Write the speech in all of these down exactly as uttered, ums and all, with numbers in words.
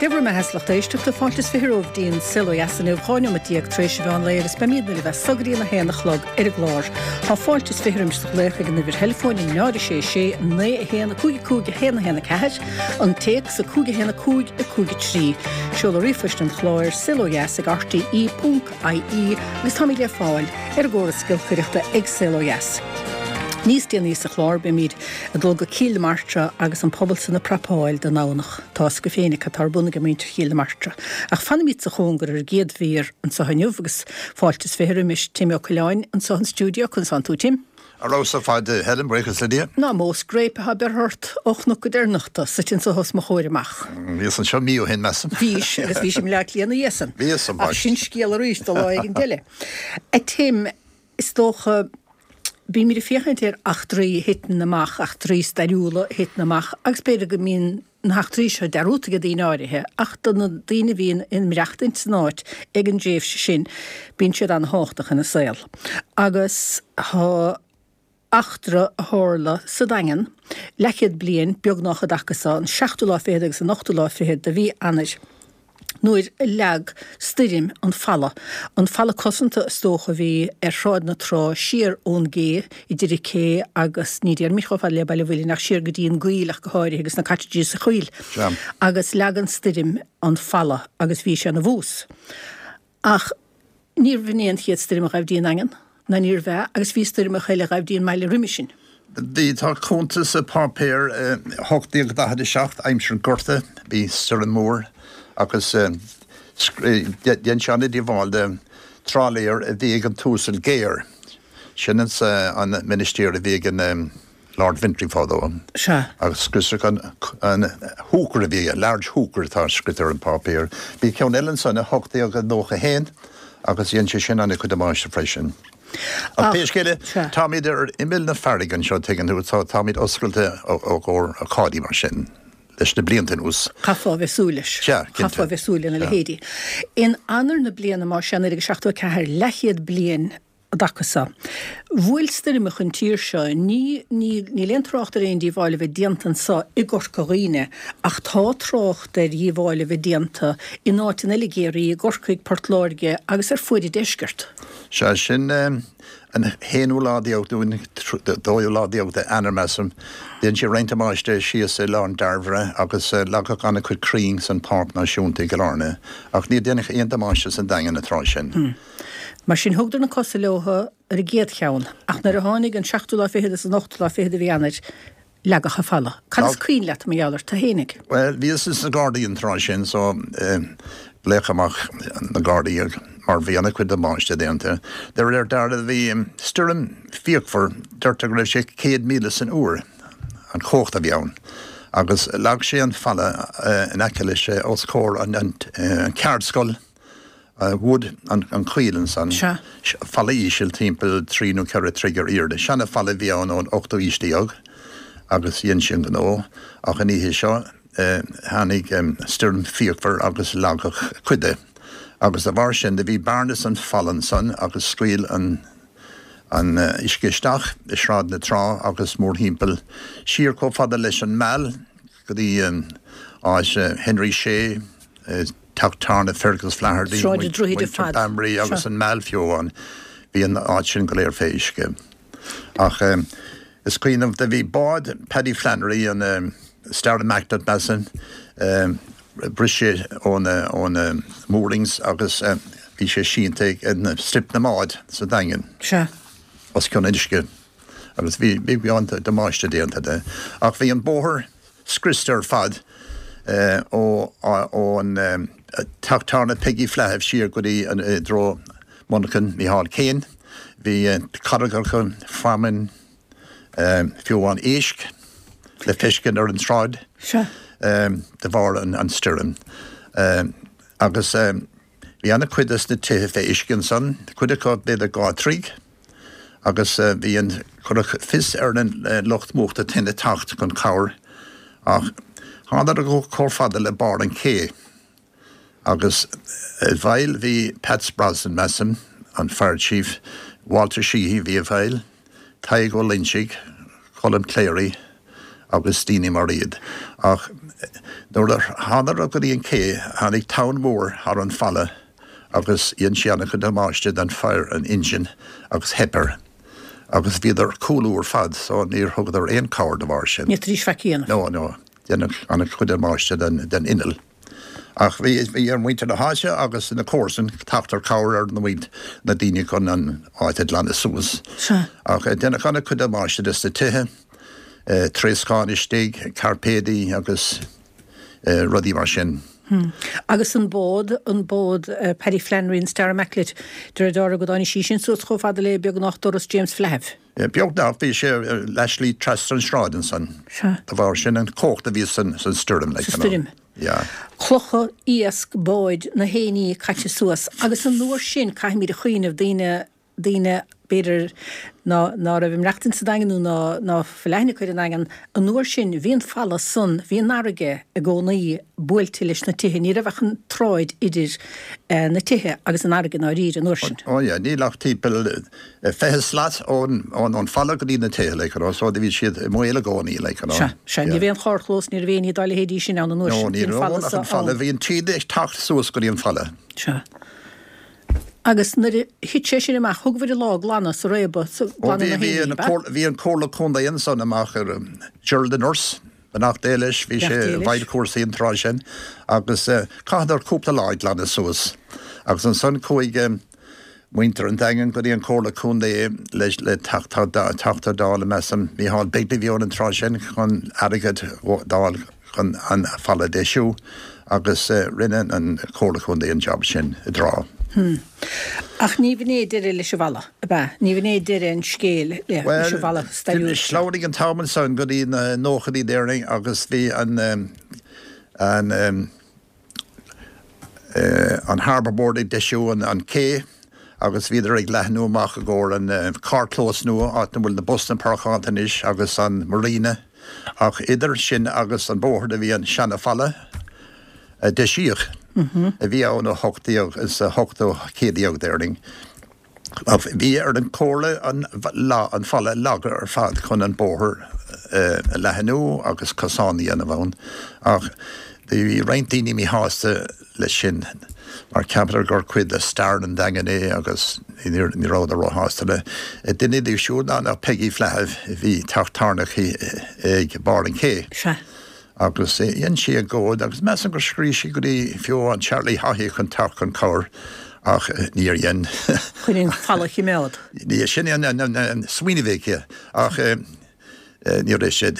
Dia bhur mbeatha a lucht éisteachta fáilte is fiche romhaibh dtí'n Saol Ó Dheas inniu dhá neomat déag tar éis an mheán lae agus beimid libh as so go dtí a haon a chlog ar an gclár. Tá fáilte is fiche roimis do ghlaoch ag an uimhir theileafóin a náid a sé sé naoi a haon a cúig a cúig a haon a haon a ceathair, an téacs a cúig a haon a cúig a cúig a trí. Seoladh ríomhphoist an chláir saolodheas ag rte ponc ie agus táimid le fáil ar an gcóras giolcaireachta ag Saol Ó Dheas. Níos déanaí sa chlár beimid ag dul go Cill na Martra agus an pobal san ag prapáil don Domhnach. Tá go féinic atá ar bun ag muintir Chill na Martra. Ach fanaimid sa chóngar ar an gcéad mhír anseo inniu agus fáilte is fiche roimis Tim Ó Coileáin anseo an stiúideo conas tánn tú Tim. Ar fheabhas ar fad Helen buíochas le Dia. Ná mó scréip atá beirthe ort ó chnoc go deireanachta suite anseo os mo chomhair amach. Bhíos anseo mí ó shin measaim. Bhís agus bhí sé le cliana dhésan. Bhíos an Ach sin scéal arís do lá éigin eile. A Tim is dócha Bímid ag féachaint ar eachtraí a thiteann amach, eachtraí stairiúla a thiteann amach, agus b'fhéidir go mbíonn na heachtraí seo dearúdta ag daoine áirithe, ach do na daoine a bhíonn ag maireachtaint san áit ag an dtréimhse sin, bíonn siad an-thábhachtach ina saol. Agus tá eachtra a tharla sa Daingean leathchéad bliain beagnach an dtaca seo, an seachtú lá fichead agus an ochtú lá fichead de mhí Eanáir, nuair a leag stoirm an falla, an falla cosanta is dócha a bhí ar Shráid na Trá siar ón gcé, idir an cé agus, ní déarfaimid chomh fada le Baile Mhuilinn ach siar go dtí an gcoill ach go háirithe agus na cottages sa choill. Agus leag an stoirm an falla agus bhí sé ina bhús. Ach níorbh in é an chéad stoirm a ghabh dtí an nDaingean, ná níorbh ea, agus bhí stoirmeacha eile a ghabh dtí an mbaile roimhe sin. Bhí, tá cuntas i bpáipéar hocht déag daichead a seacht, aimsir an Ghorta, bhí stoirm mhór agus dhein sé an-díobháil do trálaer a bhí ag an tUasal Gare. Sin an ministir a bhí ag an Lord Ventry fadó. Sea. Agus scriosadh an an hooker a bhí aige, large hooker atá scríte ar an bpáipéar. Bhí ceann eile ansan i hocht déag nócha a haon agus dhein sé sin an-chuid damáiste freisin. Ach pé scéal é, táimid ar imeall na farraige anseo, tuigeann tú, tá táimid oscailte ó ó ócáidí mar sin leis na blianta anuas. Chaithfeá a bheith súil leis. Sea, cinnte. Chaithfeá a bheith súil lena leithéidí. In Eanáir na bliana, más ea, naoi déag seachtó a ceathair, leathchéad bliain an dtaca seo, bhuail stoirmeacha an tír seo. Ní, ní, níl aon trácht ar aon díobháil a bheith déanta anseo i gCorca Dhuibhne, ach tá trácht ar dhíobháil a bheith déanta in áiteanna eile i gCiarraí, i gCorcaigh, Port Láirge agus ar fuaid an deiscirt. Sea, sin an haonú lá déag nó an dóú lá déag d'Eanáir, measaim. Dhein sé roinnt damáiste síos i Oileán Dairbhre agus leagadh an-chuid crainn san Pháirc Náisiúnta i gCill Airne, ach níor deineadh aon damáiste san Daingean an tráth sin. Mar sin, thugadar na cosa leo ar an gcéad cheann, ach nuair a tháinig an seachtú lá fichead is an ochtú lá fichead de mhí Eanáir, leagadh an falla. Cad is cuimhin leat mar gheall air tú fhéinig? Bhuel, bhíos ins na Gardaí an tráth sin so glaodh amach na Gardaí mar bhí ana-chuid damáiste déanta. De réir dealraimh bhí stoirm fíochmhar, deirtear go raibh sé céad míle san uair an chumhacht a bhí ann agus leag sé an falla in aice leis os comhair an cheardscoil. Wood, an choill ansan. Sea. Falla íseal, timpeall trí nó ceithre troigh ar airde. Seana-fhalla a bhí ann ón ochtú aois déag agus dhein sé an gnó ach an oíche seo tháinig stoirm fíochmhar agus leagadh cuid de agus de bharr sin do bhí bearna san falla ansan agus scaoil an an uisce isteach i Sráid na Trá agus mórthimpeall siar chomh fada leis an Meal go dtí áit Henry Shea, Teach tábhairne Fergus Flaherty, Sráid an Droichid ar muintir fad. Bambury agus Seo. an Meal fiú amháin. Bhí an áit sin go léir fé uisce. Ach is cuimhin liom do bhí bád Paddy Flannery, an Star Immaculate measaim, bhris sé óna óna moorings agus bhí sé sínte ag Slip na mBád sa Daingean. Sea. Os cionn an uisce agus bhí bhí an-damáiste déanta de. Ach bhí an bóthar scriosta ar fad ón teach tábhairne Peggy Flahiff siar go dtí i dtreo monarchan Micheál Kane. Bhí carraigeacha, feamainn, fiú amháin éisc le feiscint ar an tsráid de bharr an stoirm. Agus bhí ana-chuid des na tithe fé uisce ansan, cuid acu b'fhéidir dhá throigh. Agus bhí an, cuireadh fios ar an lucht múchta tine teacht chun cabhair ach thánadar chomh fada le barr an ché agus i bhfeighil bhí Pats Brosnan, measaim, an fire chief, Walter Sheehy bhí i bhfeighil, Tadhg Ó Loinsigh, Colm Cleary agus daoine mar iad. Ach Nuair a thánadar go dtí an cé, tháinig tonn mór thar an falla agus dhein sé an-chuid damáiste don fire an engine agus theip air. Agus bhíodar ag cúlú ar fad so níor thugadar aon cabhair de bharr sin. Ní fhéadfaidís faic a dhéanamh. No, no, deineadh an-chuid damáiste den, den inneall. Ach bhí, bhí ar mhuintir na háite agus na comharsain teacht ar cabhair ar na muint, na daoine chun an áit a ghlanadh suas. Sea. Ach deineadh an-chuid damáiste des na tithe, troscán istigh, cairpéadaí agus rudaí mar sin. Agus an bád, an bád Paddy Flannery an Star Immaculate, de réir dealraimh go dtáinig sí sin suas chomh fada le beagnach doras James Flaithimh. Beagnach, bhí sé leathshlí trasna an sráid ansan. Sea. De bharr sin an chumhacht a bhí san stoirm. Sa stoirm. Yeah. Clocha, iasc, báid, na héinní caite suas. Agus an uair sin, caithfimid a chuimhneamh, daoine, daoine, b'fhéidir, ná, ná raibh ag maireachtaint sa Daingean nó ná, ná fuil aithne acu ar an nDaingean, an uair sin, bhí an falla san, bhí an fharraige i gcónaí buailte leis na tithe, ní raibh ach an tsráid idir na tithe agus an fharraige i ndáiríre an uair sin. Ó yeah, níl ach timpeall fiche slat ón, ón, ón falla go dtí na tithe, like, you know, so bhí siad i mbaol i gcónaí, like, you know. Sea, sea, ní raibh aon charrchlós, ní raibh aon ní dá leithéidí sin ann an uair No, sin, ní bhí an raibh falla ach so an falla, ann. bhí an taoide ag teacht suas go dtí an falla. Sea. Agus nuair a thit sé sin amach, thugabhair an lá ag glanadh sa réabadh, sa Ó glanadh na bhí, bhí héinní, an ab ea? comhairle, bhí an Comhairle Contae ansan amach ar Gerald the Nurse, beannacht Dé leis, bhí sé Beannacht Dé i leis. bhfeighil cúrsaí an tráth sin, agus chaitheadar cúpla lá ag glanadh suas. Agus ansan chuaigh muintir an Daingin go dtí an Comhairle Contae leis le Teachta Teachta Dála measaim, Micheál Begley a bhí ann an tráth sin chun airgead d'fháil chun an falla a dheisiú agus rinne an Comhairle Contae an job sin i dtráth. Hmm. Ach ní bh'in é deireadh leis an bhfalla, ab ea? Ní bh'in é deireadh an scéil leis Well, an bhfalla stairiúil seo. Shleamhnaigh an t-am ansan go dtí na nóchaidí déarfainn agus bhí an an an Harbour Board ag deisiú an an cé agus bhíodar ag leathnú amach i gcomhair an carrchlós nua áit a bhfuil na busanna páirceáilte anois agus an marina ach idir sin agus an bóthar a bhí an seana-fhalla a deisíodh a bhí ann ó hocht déag is a hochtú céad déag déarfainn. Bhí ar an comhairle an lá an falla a leagadh ar fad chun an bóthar a leathnú agus cosán a dhéanamh ann ach bhí roinnt daoine míshásta leis sin mar cheapadar gur cuid de stair an Daingin é agus ní rabhadar róshásta le. Duine díobh siúd ná ná Peggy Flaithimh a bhí teach tábhairne ag barr an ché. Sea. Agus dhein sí agóid agus measaim gur scríobh sí go dtí fiú an Charlie Haughey chun teacht chun cabhair ach níor dhein. Chun an falla a choimeád. Ní sin an an smaoineamh aici ach ní raibh sé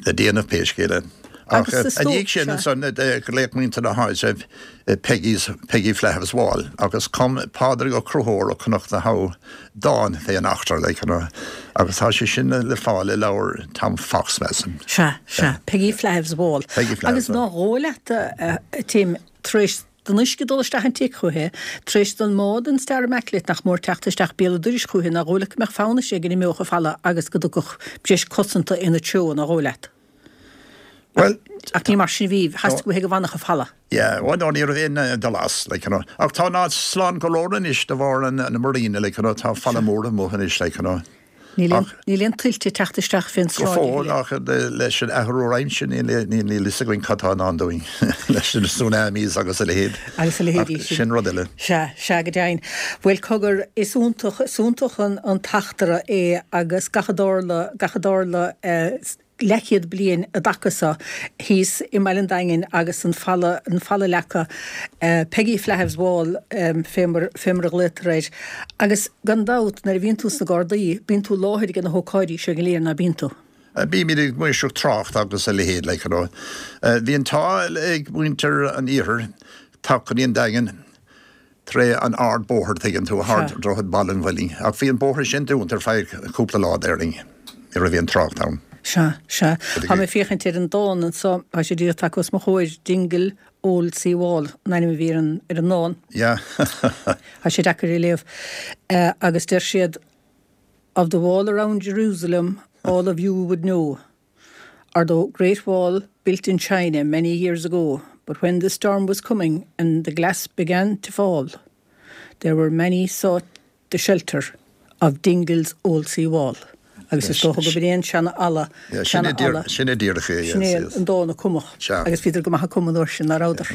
le déanamh pé scéal é. Ach Agus is a dhiaidh sin dócha. ansan ghlaoigh muintir na háite Peggy's Peggy Flaithimh's Wall agus chum Pádraig Ó Conchúir ó Chnoc na hAbha dán fé an eachtra like, you know, agus tá sé sin le fáil i leabhar Tom Fox measaim. Sea, sea, Peggy Flaithimh's Wall. Peggy Flaithimh's Agus Wall. ná dhóigh leat Tim tar éis don uisce dul isteach an tigh chuiche, tar éis don mbád an Star Immaculate nach mór teacht isteach béal an dorais chuiche ná dhóigh leat go mbeadh fonn uirthi go n-imeodh an falla agus go dtiocfadh breis cosanta ina treo ná dhóigh leat. Well, Ach ní mar sin bhí, theastaigh uaithi go bhfanfadh an falla. Yeah, well, no, ní raibh aon dul as, like, you know. Ach tá an áit slán go leor anois de bharr an, an marina, like, you know, tá falla mór amuigh anois, like, you know. Níl aon Ach- níl aon tuilte teacht isteach fén Go sráid fóill a thuilleadh. ach leis an athrú aimsire níl níl a fhios againn cad tá i ndán dúinn leis na tsunamis agus a leithéid. Agus a leithéidí Ach sin. Sin rud eile. Sea, sea go deimhin. Bhuel cogar is iontach is iontach an, an t-eachtra é agus gach a dtarla gach a dtarla eh, leathchéad bliain i dtaca seo thíos i mBaile an Daingin agus an falla an falla leagtha eh, Peggy Flaithimh's Wall um, fé mar fé mar a ghlaotar air. Agus gan dabht nuair a bhíonn tú sna Gardaí, bíonn tú i láthair ag na hócáidí seo go léir ná bíonn tú. Bímid ag maoirseacht trácht agus a leithéid like, you know. Uh, Bhí an t-ádh ag muintir an iarthair teacht go dtí an Daingean tré an ardbóthar tuigeann tú thar Droichead Bhaile an Mhuilinn. Ach bhí an bóthar sin dúnta ar feadh cúpla lá déarfainn. Ní raibh aon trácht ann. Sea, sea. Tá mé féachaint ar an dán anseo, tá sé díreach tagtha os mo chomhair Dingle Old Sea Wall, an ainm a bhí ar an ar an ndán. Yeah. Tá sé deacair a léamh. Uh, agus deir siad of the wall around Jerusalem, all of you would know. Or the Great Wall built in China many years ago, but when the storm was coming and the glass began to fall, there were many sought the shelter of Dingle's Old Sea Wall. Agus is dócha gurb é an seanfhalla. Sin é díreach é. Sin é an dóigh a cumadh. Agus bhíodar go maith ag cumadh an uair sin, ná rabhadar.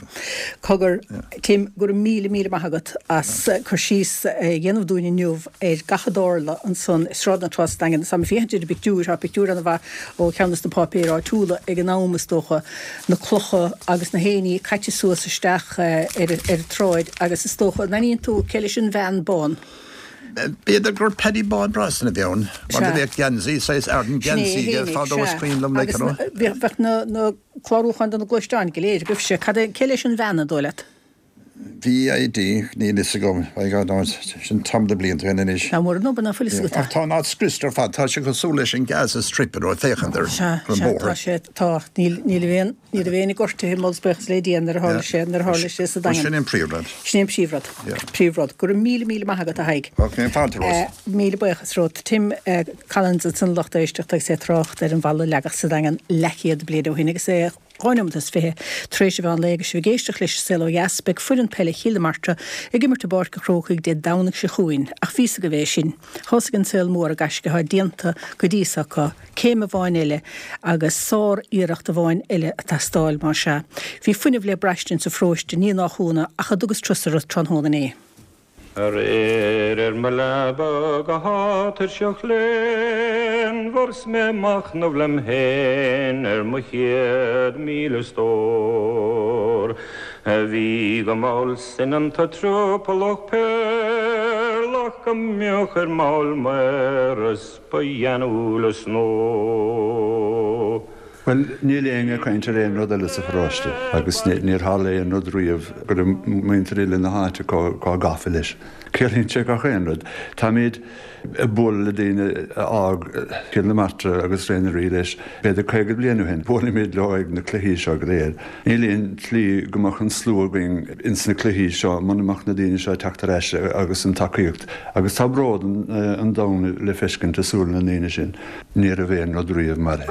Cogar, Tim, go raibh míle míle maith agat as cur síos a dhéanamh dúinn inniu ar gach a dtarla ansan i Sráid na Trá sa Daingean. Tá mé ag féachaint ar an bpictiúr, tá pictiúr an-mhaith ó cheann de na páipéir áitiúla ag an am, is dócha, na clocha agus na héinní caite suas isteach ar an tsráid agus is dócha, an aithníonn tú cé leis an bhean bán? B'fhéidir gur Paddy Bán Brosnan a bhí ann, mar do bheadh geansaí, saghas Arden geansaí aige fadó is cuimhin liom like, you know. Agus bheadh na clárúcháin do na gluaisteáin go léir agaibhse. Cad é, cé leis an bhean an dóigh leat? VID, níl fhios agam, by God knows, sin tamall de blianta ó shin anois. Ná mura nó ná fuil fhios agat. Ach tá an áit scriosta ar fad, tá sé cosúil leis an Gaza Strip, you know, ag féachaint ar an bóthar. Sea, sea, tá sé, tá, níl, níl aon, ní raibh éinne gortaithe, moladh is buíochas le Dia nuair a tharla sé, nuair a tharla sé sa Daingean. Sin é an príomhrud. Sin é an príomhrud. Príomhrud. Go raibh míle míle maith agat, a Thaidhg. Ok, fáilte romhat. Míle buíochas romhat. Tim Collins ansan a lucht éisteachta agus é ag trácht ar an bhfalla a leagadh sa Daingean leathchéad bliain ó shin agus é dhá nóiméad is fiche tar éis an mheán lae agus sibh ag éisteacht leis An Saol Ó Dheas. Beidh foireann peile Chill na Martra ag imirt i bPáirc an Chrócaigh Dé Domhnaigh seo chugainn ach bhí fhios agaibh é sin. Tá fhios ag an saol mór an gaisce atá déanta go dtí so acu. Céim amháin eile agus sár-iarracht amháin eile ag teastáil, más ea. Bhí fuinneamh le braistint sa pharóiste, ní nach ionadh, ach a dtugas turas orthu tráthnóna inné. Aréir ar mo leaba go h-atuirseach léanmhar 's mé ag machnamh lem fhéin ar mo chéad míle stór a bhí go mall soineanta triopallach péarlach go mbeadh ar mball maor is ba gheanúla snó. Bhuel, níl éinne ag caint ar aon rud eile sa pharóiste agus níor tharla aon rud riamh go raibh muintir uile na háite chomh gafa leis. Ciallaíonn sé gach aon rud. Táimid ag bualadh le daoine a fhág Cill na Martra agus Ré na Rí leis b'fhéidir caoga bliain ó shin. Buailimid leo ag na cluichí seo go léir. Níl aon tslí go mbeadh an slua againn ins na cluichí seo muna mbeadh na daoine seo ag teacht ar ais agus an tacaíocht. Agus tá bród an domhain le feiscint i súile na ndaoine sin. Ní raibh aon rud riamh mar é.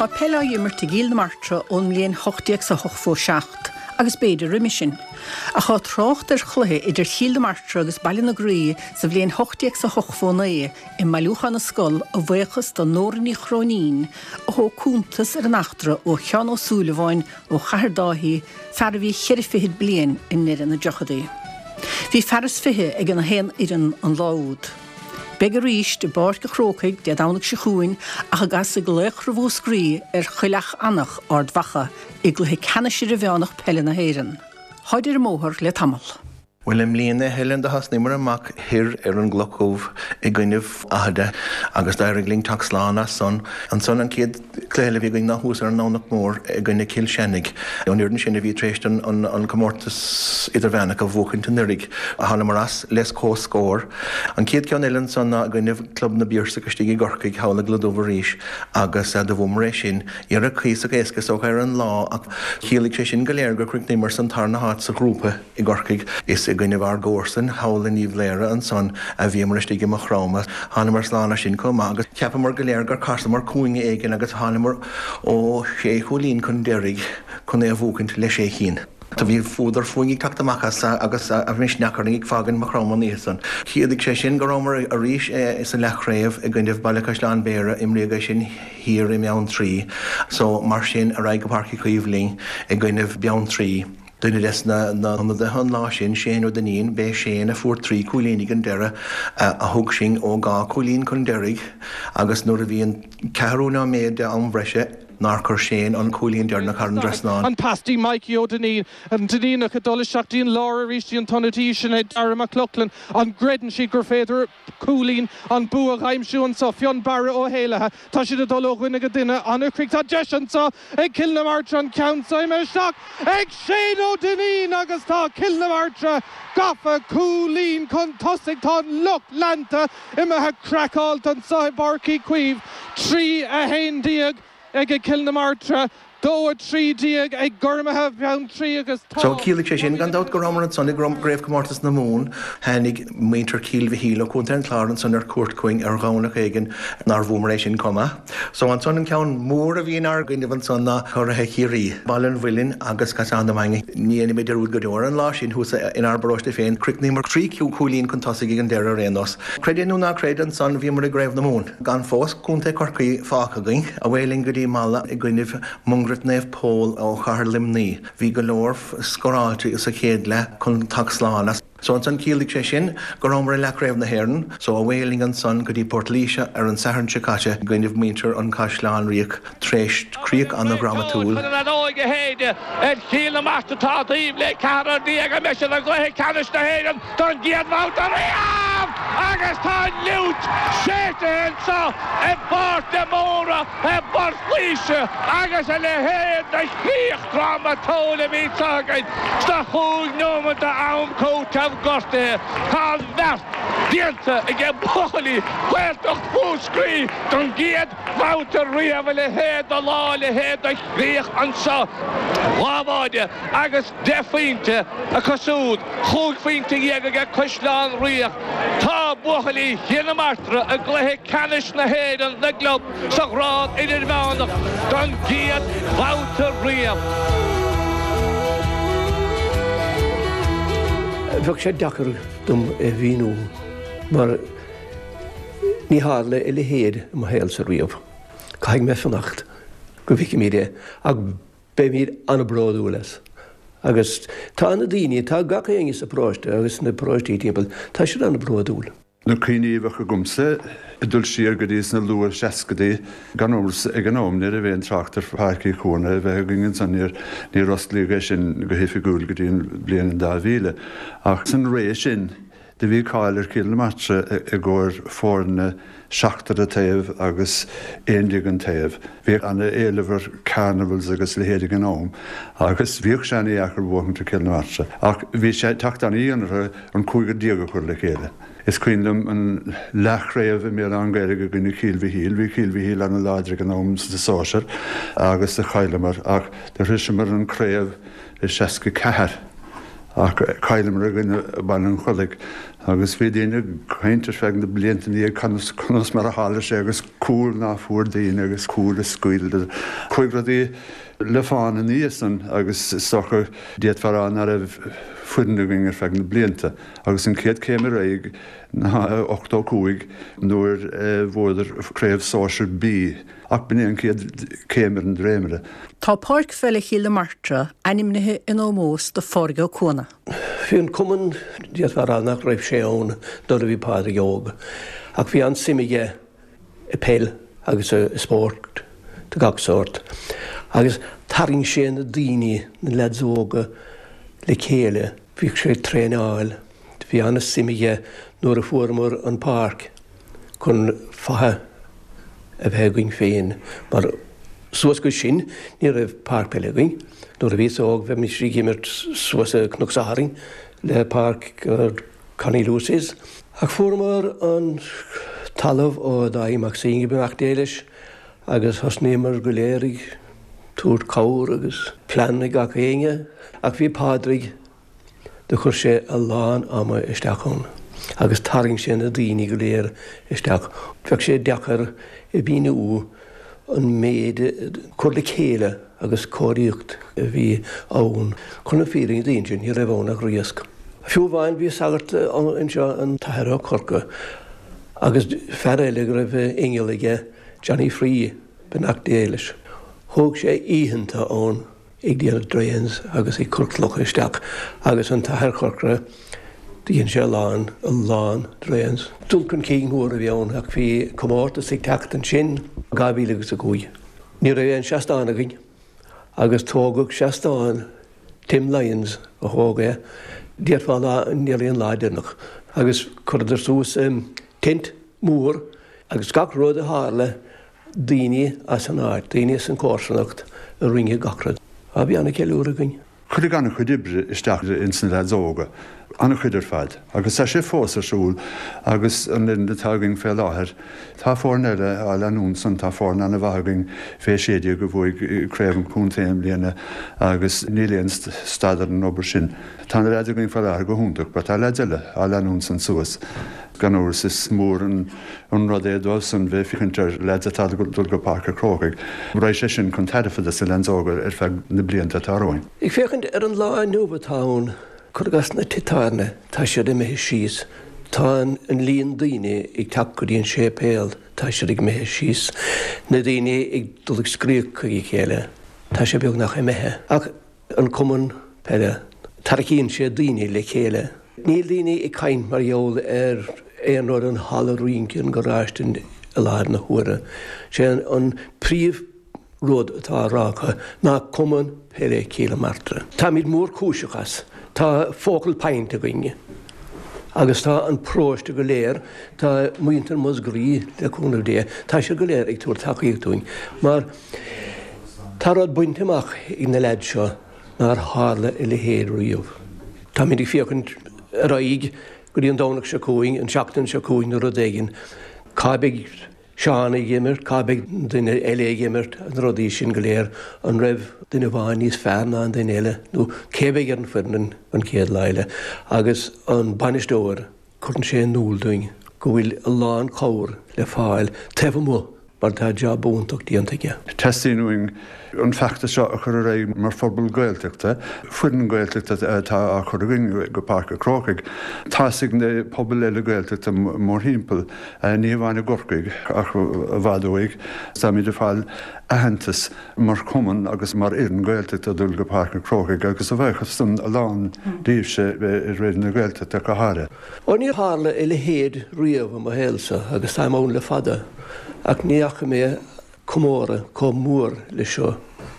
Tá peil á imirt i gCill na Martra ón mbliain ocht déag is a hochtó seacht, agus b'fhéidir roimhe sin. Ach tá trácht ar chluiche idir Chill na Martra agus Baile na Graí sa bhliain ocht déag is a hochtó naoi i mBailiúchán na Scol a bhuíochas do Nóra Ní Chróinín a thóg cuntas ar an eachtra ó Sheán Ó Súilleabháin ó Chathair Dáithí, fear a bhí cheithre fichid bliain i ndeireadh na dtríochadaí. Bhí fear is fiche ag an haon fhoireann an lá úd. Beidh arís i bPáirc an Chrócaigh Dé Domhnaigh seo chugainn ach a gcasfaidh Laochra Mhúscraí ar Choill Eanach, Ard Mhacha, i gcluiche ceannais idirmheánach peile na hÉireann. Táid ar an mbóthar le tamall. Bhuel, i mbliana, a Helen, do thosnaíomar amach thoir ar an gCloch Dhubh i gcoinnibh Fhathada agus d'éirigh linn teacht slán as san. Ansan an chéad chluiche eile a bhí againn ná thuas ar an nDomhnach Mór i gcoinne Chill Chainnigh, an fhoireann sin a bhí tar éis an comórtas idirmheánach a bhuachaint anuraidh. Thánamar as le comhscór. An chéad cheann eile ansan ná i gcoinnibh Club na bPiarsach istigh i gCorcaigh thall i gCloich Dubh arís agus do bhuamar é sin. Ní raibh cuíosach éasca is dócha ar an lá ach chiallaigh sé sin go léir gur chríochnaíomar san tarna háit sa ghrúpa. I gCorcaigh is i gcoinnibh ár gcomharsan thall in Uíbh Laoghaire ansan a bhíomar istigh i Maigh Chromtha. Thánamar slán as sin chomh maith agus cheapamar go léir gur chasamar cúinne éigin agus thánamar ó shé chúilín chun deiridh chun é a bhuachaint le sé chinn. Do bhí fuadar fúinn ag teacht amach as agus a misneach orainn ag fágaint Maigh Chromtha an oíche san. Chiallaigh sé sin go rabhamar arís sa leathchraobh i gcoinnibh Baile Caisleáin Bhéarra, imríodh é sin thiar i mBeanntraí. So mar sin ar aghaidh go Páirc Uí Chaoimh linn i gcoinnibh Beanntraí. Duine des na hionadaithe an lá sin, Shane Ó Duinnín, b'é Shane a fuair trí chúilín ag an deireadh a thug sinn ó dhá chúilín chun deiridh agus nuair a bhí an ceathrú nóiméad de am bhreise nár chuir Shane an cúilín deireanach thar an dtrasnán. An pas dtí Mikey Ó Duinnín, an Duinníneach ag dul isteach dtí an lár arís dtí an t-ionadaí, sin é Dara Mac Lochlainn. An gcreideann siad gur féidir cúilín an bua a aimsiú anseo? Fionnbarra Ó hÉallaithe. Tá siad ag dul ó dhuine go duine. An-chrích. Tá deis anseo ag Cill na Martra an ceann seo imithe isteach ag Shane Ó Duinnín agus tá Cill na Martra gafa cúilín chun tosaigh. Tá an lucht leanta imithe craiceáilte anseo i bPáirc Uí Chaoimh. Trí a haon déag ag Cill na Martra. dó a trí déag ag Gormaithe Bheanntraí agus tá So chiallaigh sé sin gan dabht go rabhamar ansan i gCraobhchomórtas na Mumhan tháinig muintir Chill Mhichíl ó Chontae an Chláir ansan ar cuairt chugainn ar Dhomhnach éigin nár bhuamar é sin chomh maith. So ansan an ceann mór a bhí inár gcoinnibh ansan ná curaithe Chiarraí, Baile an Mhuilinn agus Caisleán na Mainge. Ní dhéanfaidh mé dearúd go deo ar an lá sin thuas inár bparóiste féin, chríochnaíomar trí chúilín chun tosaigh ag an deireadh ar aon nós. Creid é nó ná creid ansan bhíomar i gCraobh na Mumhan. Gan fós Contae Chorcaí fágtha againn, away linn go dtí Mala i gcoinnibh Mungairit Naomh Pól ó chathair Luimnigh. Bhí go leor scóráilte sa chéad leath chun teacht slán as. So ansan chiallaigh sé sin go rabhamar i leathchraobh na hÉireann, so away linn ansan go dtí Port Laoise ar an Satharn seo caite i gcoinnibh muintir an Chaisleáin Ríocht tréis críoch an-dhrámatúil. Chun an fheadóig a shéideadh ar Chill na Martra atá taobh le ceathrar déag a mbeidh siad i gcluiche ceannais na hÉireann don gcéad bhabhta riamh agus tá an fhliúit séidte anseo i bPáirc de Mórdha i bPort Laoise agus a leithéid de chríoch drámatúil a bhí anseo againn sna chúig nóiméad d'am cúitimh gortaithe. Tá an bheart déanta aige buachaillí Ghaeltacht Mhúscraí don gcéad bhabhta riamh a leithéid de lá a leithéid de chríoch anseo. Dhá bháide agus deich phointe acu siúd, chúig phointe dhéag aige Caisleán Ríocht. Tá buachaillí Chill na Martra i gcluiche ceannais na hÉireann na gclub sa ghrád idirmheánach don gcéad bhabhta riamh. Bheadh sé deacair dom é mhíniú mar ní tharla a leithéid i mo shaolsa riamh. Caithfidh mé fanacht go bhfeicfimid é ach beimid an-bhródúil as. Agus tá na daoine, tá gach éinne sa pharóiste agus na paróistí timpeall, tá siad an-bhródúil. Na cuimhní a bheadh agamsa ag dul siar go dtí sna luath seascaidí, gan amhras ag an am ní raibh aon trácht ar Pháirc Uí Chuana a bheith againn ansan, níor níor osclaíodh é sin go hoifigiúil go dtí an bhliain dhá mhíle. Ach san ré sin do bhí cáil ar Chill na Martra i gcomhair foirne seachtar an taobh agus aon déag an taobh. Bhíodh an-éileamh ar carnivals agus leithéid ag an am agus bhíodh sé an-dheacair buachaint ar Chill na Martra. Ach bhí sé ag teacht an-dhian orthu an cúigear déag a chur le chéile. Is cuimhin liom an leathchraobh i mBéal Átha an Ghaorthaidh i gcoinne Chill Mhichíl. Bhí Cill Mhichíl an-láidir ag an am sa sóisear agus do chailleamar ach do shroiseamar an craobh i seasca ceathair ach chailleamar i gcoinne Baile an Chollaigh agus bhí daoine ag caint ar feadh na blianta ina dhiaidh conas conas mar a tharla sé agus cúl ná fuair daoine agus cúl a scaoileadar. Chuaigh rudaí le fán ina dhiaidh san agus is dócha d'fhéadfá a rá ná raibh foireann againn ar feadh na blianta agus an chéad chéim ar aghaidh ná ochtó cúig nuair a bhuadar craobh sóisear B ach b'in é an chéad chéim ar an dréimire. Tá Páirc Pheile Chill na Martra ainmnithe in ómós do Phádraig Ó Cuana. Bhí an cumann d'fhéadfá a rá nach raibh sé ann nuair a bhí Pádraig óg, ach bhí an-suim aige i peil agus i spórt de gach sórt. Agus tharraing sé na daoine, na lads óga le chéile, bhíodh sé ag traenáil, bhí an-suim aige nuair a fuaireamar an páirc chun faiche a bheith againn féin, mar suas go sin ní raibh páirc peile againn. Nuair a bhíos óg bheimis ag imirt suas i Cnoc Sathairn le páirc Connie Lucy's. Ach fuaireamar an talamh ó Dáithí Mac Synge beannacht Dé leis agus thosnaíomar go léir ag tabhairt cabhair agus plean ag gach éinne. Ach bhí Pádraig, do chuir sé a lán ama isteach ann agus tharraing sé na daoine go léir isteach. Bheadh sé deacair a mhíniú an méid cur le chéile agus cóiríocht a bhí ann. Chun na fírinne a inse, ní raibh ann ach riasc. Fiú amháin bhí sagart anseo an tAthair Ó Corca agus fear eile go raibh inneall aige, Johnny Free, beannacht Dé leis. Thóg sé oícheanta ann ag déanamh drains agus ag cur clocha isteach agus an tAthair Corcora dhein sé a lán, a lán drains. Dul chun cinn mór a bhí ann ach bhí comórtas ag teacht ansin dhá mhíle agus a cúig. Ní raibh aon seastán againn agus tógadh seastán Tim Lyons a thóg é, déarfá lá, níl aon lá deireanach agus chuireadar suas tent mór agus gach rud a tharla daoine as an áit, daoine as an chomharsanacht a rinne gach rud. Á bhí an-cheiliúradh againn. Cuireadh an-chuid oibre isteach ins na leaids óga An-chuid ar fad. Agus tá sé fós ar siúl agus an fhoireann atá againn fé láthair. Tá foireann eile á leanúint san, tá foireann an-mhaith againn fé sé déag a bhuaigh craobh an chontae i mbliana agus níl aon stad ar an obair sin. Tá na leaids againn fé láthair go hiontach but tá leaids eile á leanúint san suas. Gan amhras is mór an rud é dóibhsan bheith féachaint ar leaids atá ag dul go Páirc an Chrócaigh. Raghaidh sé sin chun tairbhe dos na leaids óga ar feadh na blianta atá romhainn. Ag féachaint ar an lá inniu atá ann, cuir i gcás na tithe tábhairne, tá siad imithe síos. Tá an líon daoine ag teacht go dtí an séipéal, tá siad ag imithe síos. Na daoine ag dul ag scríobh chuig a chéile, tá sé beagnach imithe. Ach an cumann peile, tarraingíonn sé daoine le chéile. Níl daoine ag caint mar gheall ar aon rud, an halla rince, an garáiste i láthair na huaire. Sé an príomh rud atá á rá acu ná Cumann Peile Chill na Martra. Táimid mórchúiseach as. Tá focal point againn agus tá an paróiste go léir, tá muintir Mhúscraí le cúnamh Dé, tá siad go léir ag tabhairt tacaíocht dúinn mar tá rud bainte amach ag na leaids seo nár tharla a leithéid riamh. Táimid ag féachaint ar aghaidh go dtí an Domhnach seo chugainn, an tseachtain seo chugainn nó rud éigin. Cá mbeidh Seán ag imirt, cá mbeidh duine eile ag imirt, na rudaí sin go léir, an raibh duine amháin níos fearr ná an duine eile nó cé a bheidh ar an foireann an chéad lá eile. Agus an bainisteoir, cuireann sé in iúl dúinn go bhfuil a lán cabhair le fáil taobh amuigh mar tá jab iontach déanta aige. Teastaíonn uainn an feachtas seo a chur ar aghaidh mar phobal Gaeltachta, foireann Gaeltachta atá á chur againn go Páirc an Chrócaigh. Tá's ag na pobail eile Gaeltachta mórthimpeall, ní hamháin i gCorcaigh ach i bhfad uaidh. Táimid ag fáil aitheantas mar chumann agus mar fhoireann Gaeltachta dul go Páirc an Chrócaigh agus a bhuíochas san a lán daoibhse i Raidió na Gaeltachta go háirithe. Ó níor tharla a leithéid riamh i mo shaolsa agus táim ann le fada ach ní fhaca mé comóradh chomh mór le seo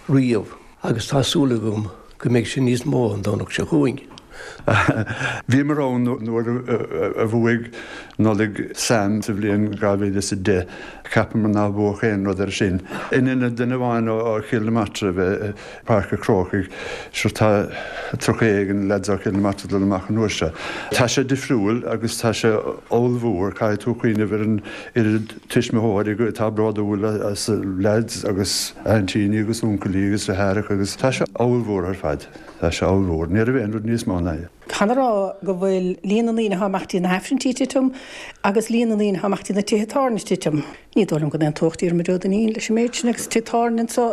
riamh agus tá súil agam go mbeidh sé níos mó an Domhnach seo chugainn. Bhíomar ann nuair a bhuaigh Nollaig Sam sa bhliain dhá mhíle is a deich. Cheapamar nár buadh aon rud air sin. In ionad duine amháin ó Chill na Martra a bheith i Páirc an Chrócaigh, sure tá tríocha éigin leaids ó Chill na Martra ag dul amach an uair seo. Tá sé difriúil agus tá sé ollmhór, caithfidh tú cuimhneamh ar an oiread tuismitheoirí atá bródúil as a leaids agus aintíní agus uncailí agus deartháireacha agus tá sé ollmhór ar fad. Tá sé ollmhór. Ní raibh aon rud níos mó ná é. Táthar a rá go bhfuil líon na ndaoine atá ag imeacht dtí na hAifrinntí ag titim agus líon na ndaoine atá ag imeacht dtí na tithe tábhairne ag titim. Ní dóigh liom go n-aontódh Diarmuid Ó Duinnín leis an méid sin agus tigh tábhairne anseo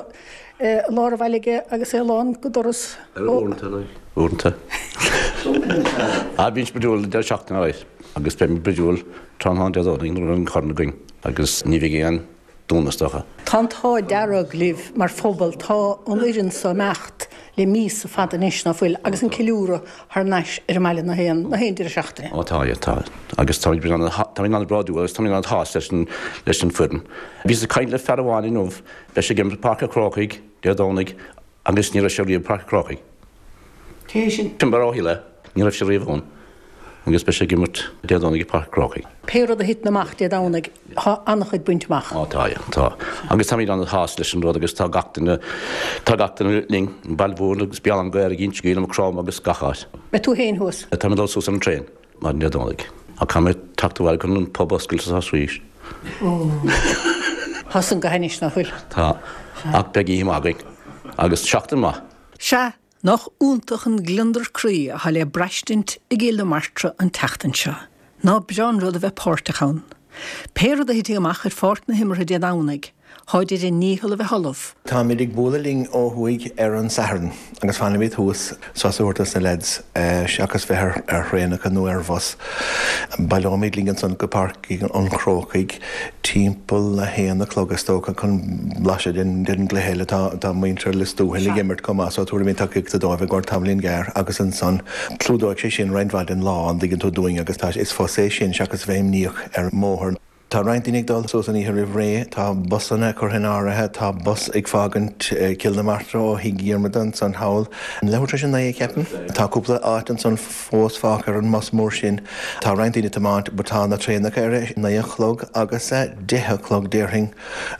i lár an bhaile aige agus é lán go doras. Uaireanta, uaireanta. Ah, bíonn brúidiúil an deireadh seachtaine alright agus beidh muid brúidiúil tráthnóna Dé Domhnaigh nuair a bheidh an corn againn agus ní bheidh aon dúnadh is dócha. Tá an t-ádh dearg libh mar phobal, tá an fhoireann seo ag imeacht le míosa fada anois, ná fuil, agus an ceiliúradh thar n-ais ar an mbaile na haon na haon deireadh seachtaine. Ó tá, tá. Agus táimid táimid an-bhródúil agus táimid an-sásta leis an leis an foireann. Bhíos ag caint le fear amháin inniu, beidh sé ag imirt i Páirc an Chrócaigh Dé Domhnaigh agus ní raibh sé riamh i Páirc an Chrócaigh. Cé hé sin? Fionnbarr Ó hÉalaithe, ní raibh sé riamh ann. Agus beidh sé ag imirt Dé Domhnaigh i Páirc an Chrócaigh. Pé rud a thiteann amach Dé Domhnaigh, tá an-chuid bainte amach. Ó tá, tá. Agus táimid an-sásta leis an rud agus tá gach duine, tá gach duine linn, an Baile Mhúirne agus Béal Átha an Ghaorthaidh, Inse Gall, Maigh Chromtha agus gach áit. Beidh tú féin thuas? Tá mé ag dul suas ar an traein maidin Dé Domhnaigh. Ach caithfidh mé teacht abhaile chun an pub a oscailt is arís. Tá san go hainnis, ná fuil? Tá. Ach beidh oíche mhaith againn. Agus seachtain mhaith. Sea, Nach iontach an gliondar croí atá le braistint i gCill na Martra an tseachtain seo. Ná breá an rud a bheith páirteach ann. Pé rud a thitfidh amach ar pháirc na himeartha Dé Domhnaigh, táid ar a ndícheall a bheith ullamh. Táimid ag bualadh linn ó thuaidh ar an Satharn agus fanfaimid thuas sos a thabhairt dos na leaids seachas bheith ar thraenacha nó ar bhus. Baileoimid linn ansan go Páirc an Chrócaigh timpeall a haon a chlog is dócha chun blaiseadh den gcluiche eile. Tá muintir Lios Tuathail ag imirt chomh maith so tabharfaimid tacaíocht dóibh i gcomhair tamaillín gearr agus ansan clúdóidh sé sin roinnt mhaith den lá, an dtuigeann tú, dúinn agus tá, is fusa é sin seachas bheith imníoch ar an mbóthar. Tá roinnt daoine ag dul suas an oíche roimh ré, tá busanna curtha in áirithe, tá bus ag fágaint Cill na Martra ó Thigh Dhiarmada ansan thall, leathuair tar éis a naoi, ceapaim. Tá cúpla áit ansan fós fágtha ar an mbus mór sin. Tá roinnt daoine ag tiomáint but tá na traenacha ar a naoi a chlog agus a deich a chlog déarfainn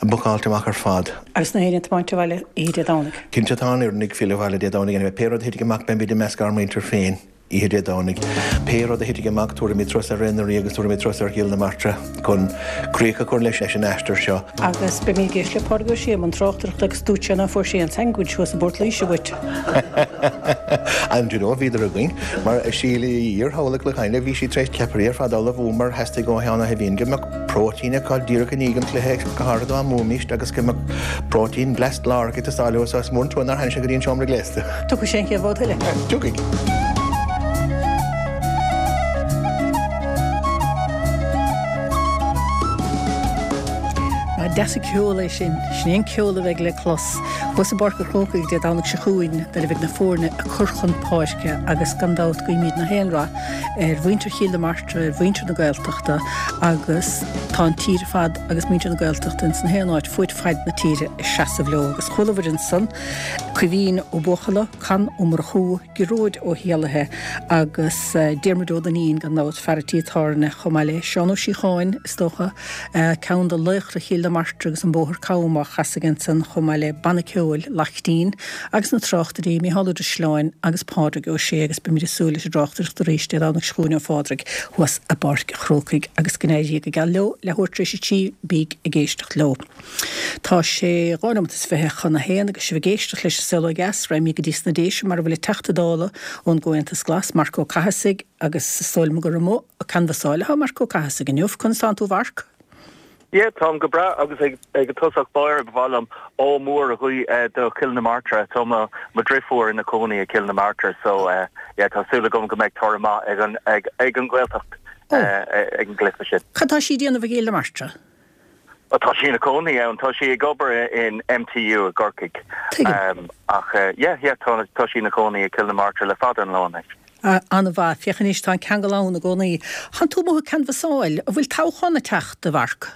bookáilte amach ar fad. Agus na héinne ag tiomáint abhaile oíche Dé Domhnaigh? Cinnte tá an fhoireann ag filleadh abhaile Dé Domhnaigh anyway. Pé rud a thitfidh amach beimid i measc ár muintir féin. oíche Dé Domhnaigh. Pé rud a thitfidh amach, tabharfaimid turas ar Ré na Rí agus tabharfaimid turas ar Chill na Martra chun críoch a chur leis an aistear seo. Agus beimid ag éisteacht le Pádraig Ó Sé i mbun tráchtaireachta agus dúirt sé nach bhfuair sé aon sandwich thuas i bPort Laoise uait. And you know, bhíodar againn mar Síle iar-thall i gCloich Cheann bhí sí tar éis ceapairí ar fad a ullmhú mar theastaigh ó Sheán Ó hUiginn go mbeadh próitéin acu díreach i ndiaidh an chluiche go háirithe dá mbuaimíst agus go mbeadh próitéin blast lárach ag teastáil uathu so is mór an trua nár tháinig sé go dtí an seomra gléasta. Tiocfaidh sé an chéad bhabhta eile. Tiocfaidh. Nach deas an ceol é sin. Sin é an ceol a bheidh le clos thuas i bPáirc an Chrócaigh Dé Domhnaigh seo chugainn nuair a bheidh na foirne ag cur chun páirce agus gan dabht guímid na haon rath ar mhuintir Chill na Martra, ar mhuintir na Gaeltachta agus tá an tír ar fad agus muintir na Gaeltachta ins na haon áit fuaid faid na tíre ag seasamh leo agus chualabhair ansan Caoimhín Ó Buachalla, Con Ó Murchú, Gearóid Ó hÉallaithe agus Diarmuid Ó Duinnín gan dabht, fear an tí tábhairne chomh maith le Seán Ó Síocháin, is dócha, ceann de laochra Chill na Martra agus an Bóthar Cam á chasadh ansan chomh maith le Banna Ceoil Laichtín agus na tráchtairí Mícheál Ó Drisleáin agus Pádraig Ó Sé agus beimid ag súil leis an dtráchtaireacht arís Dé Domhnaigh seo chugainn ó Phádraig thuas i bPáirc an Chrócaigh agus go n-éirí go geal leo leathuair tar éis a trí bíg ag éisteacht leo. Tá sé dhá nóiméad is fiche chun a haon agus sibh ag éisteacht leis An Saol Ó Dheas, raghaimid go dtí sna Déise mar a bhfuil an Teachta Dála ón gComhaontas Glas, Marc Ó Cathasaigh agus is dóigh liom gur amuigh ag canbhasáil atá Marc Ó Cathasaigh inniu. Conas tánn tú a Mharc? Yeah, táim go breá agus ag ag tosach báire ba mhaith liom ádh mór a ghuí do Chill na Martra. Tá mo mo dhriofúr ina cónaí i Cill na Martra so yeah tá súil agam go mbeidh toradh maith ag an ag ag an Ghaeltacht ag an gcluiche sin. Cad tá sí ag déanamh i gCill na Martra? Tá sí ina cónaí ann, tá sí ag obair in MTU i gCorcaigh. Tuigim. Ach yeah, yeah, tá tá sí ina cónaí i Cill na Martra le fada an lá anois. An-mhaith. Féach anois, tá an ceangal ann i gcónaí. Tánn tú amuigh ag canbhasáil. An bhfuil toghchán ag teacht, a Mharc?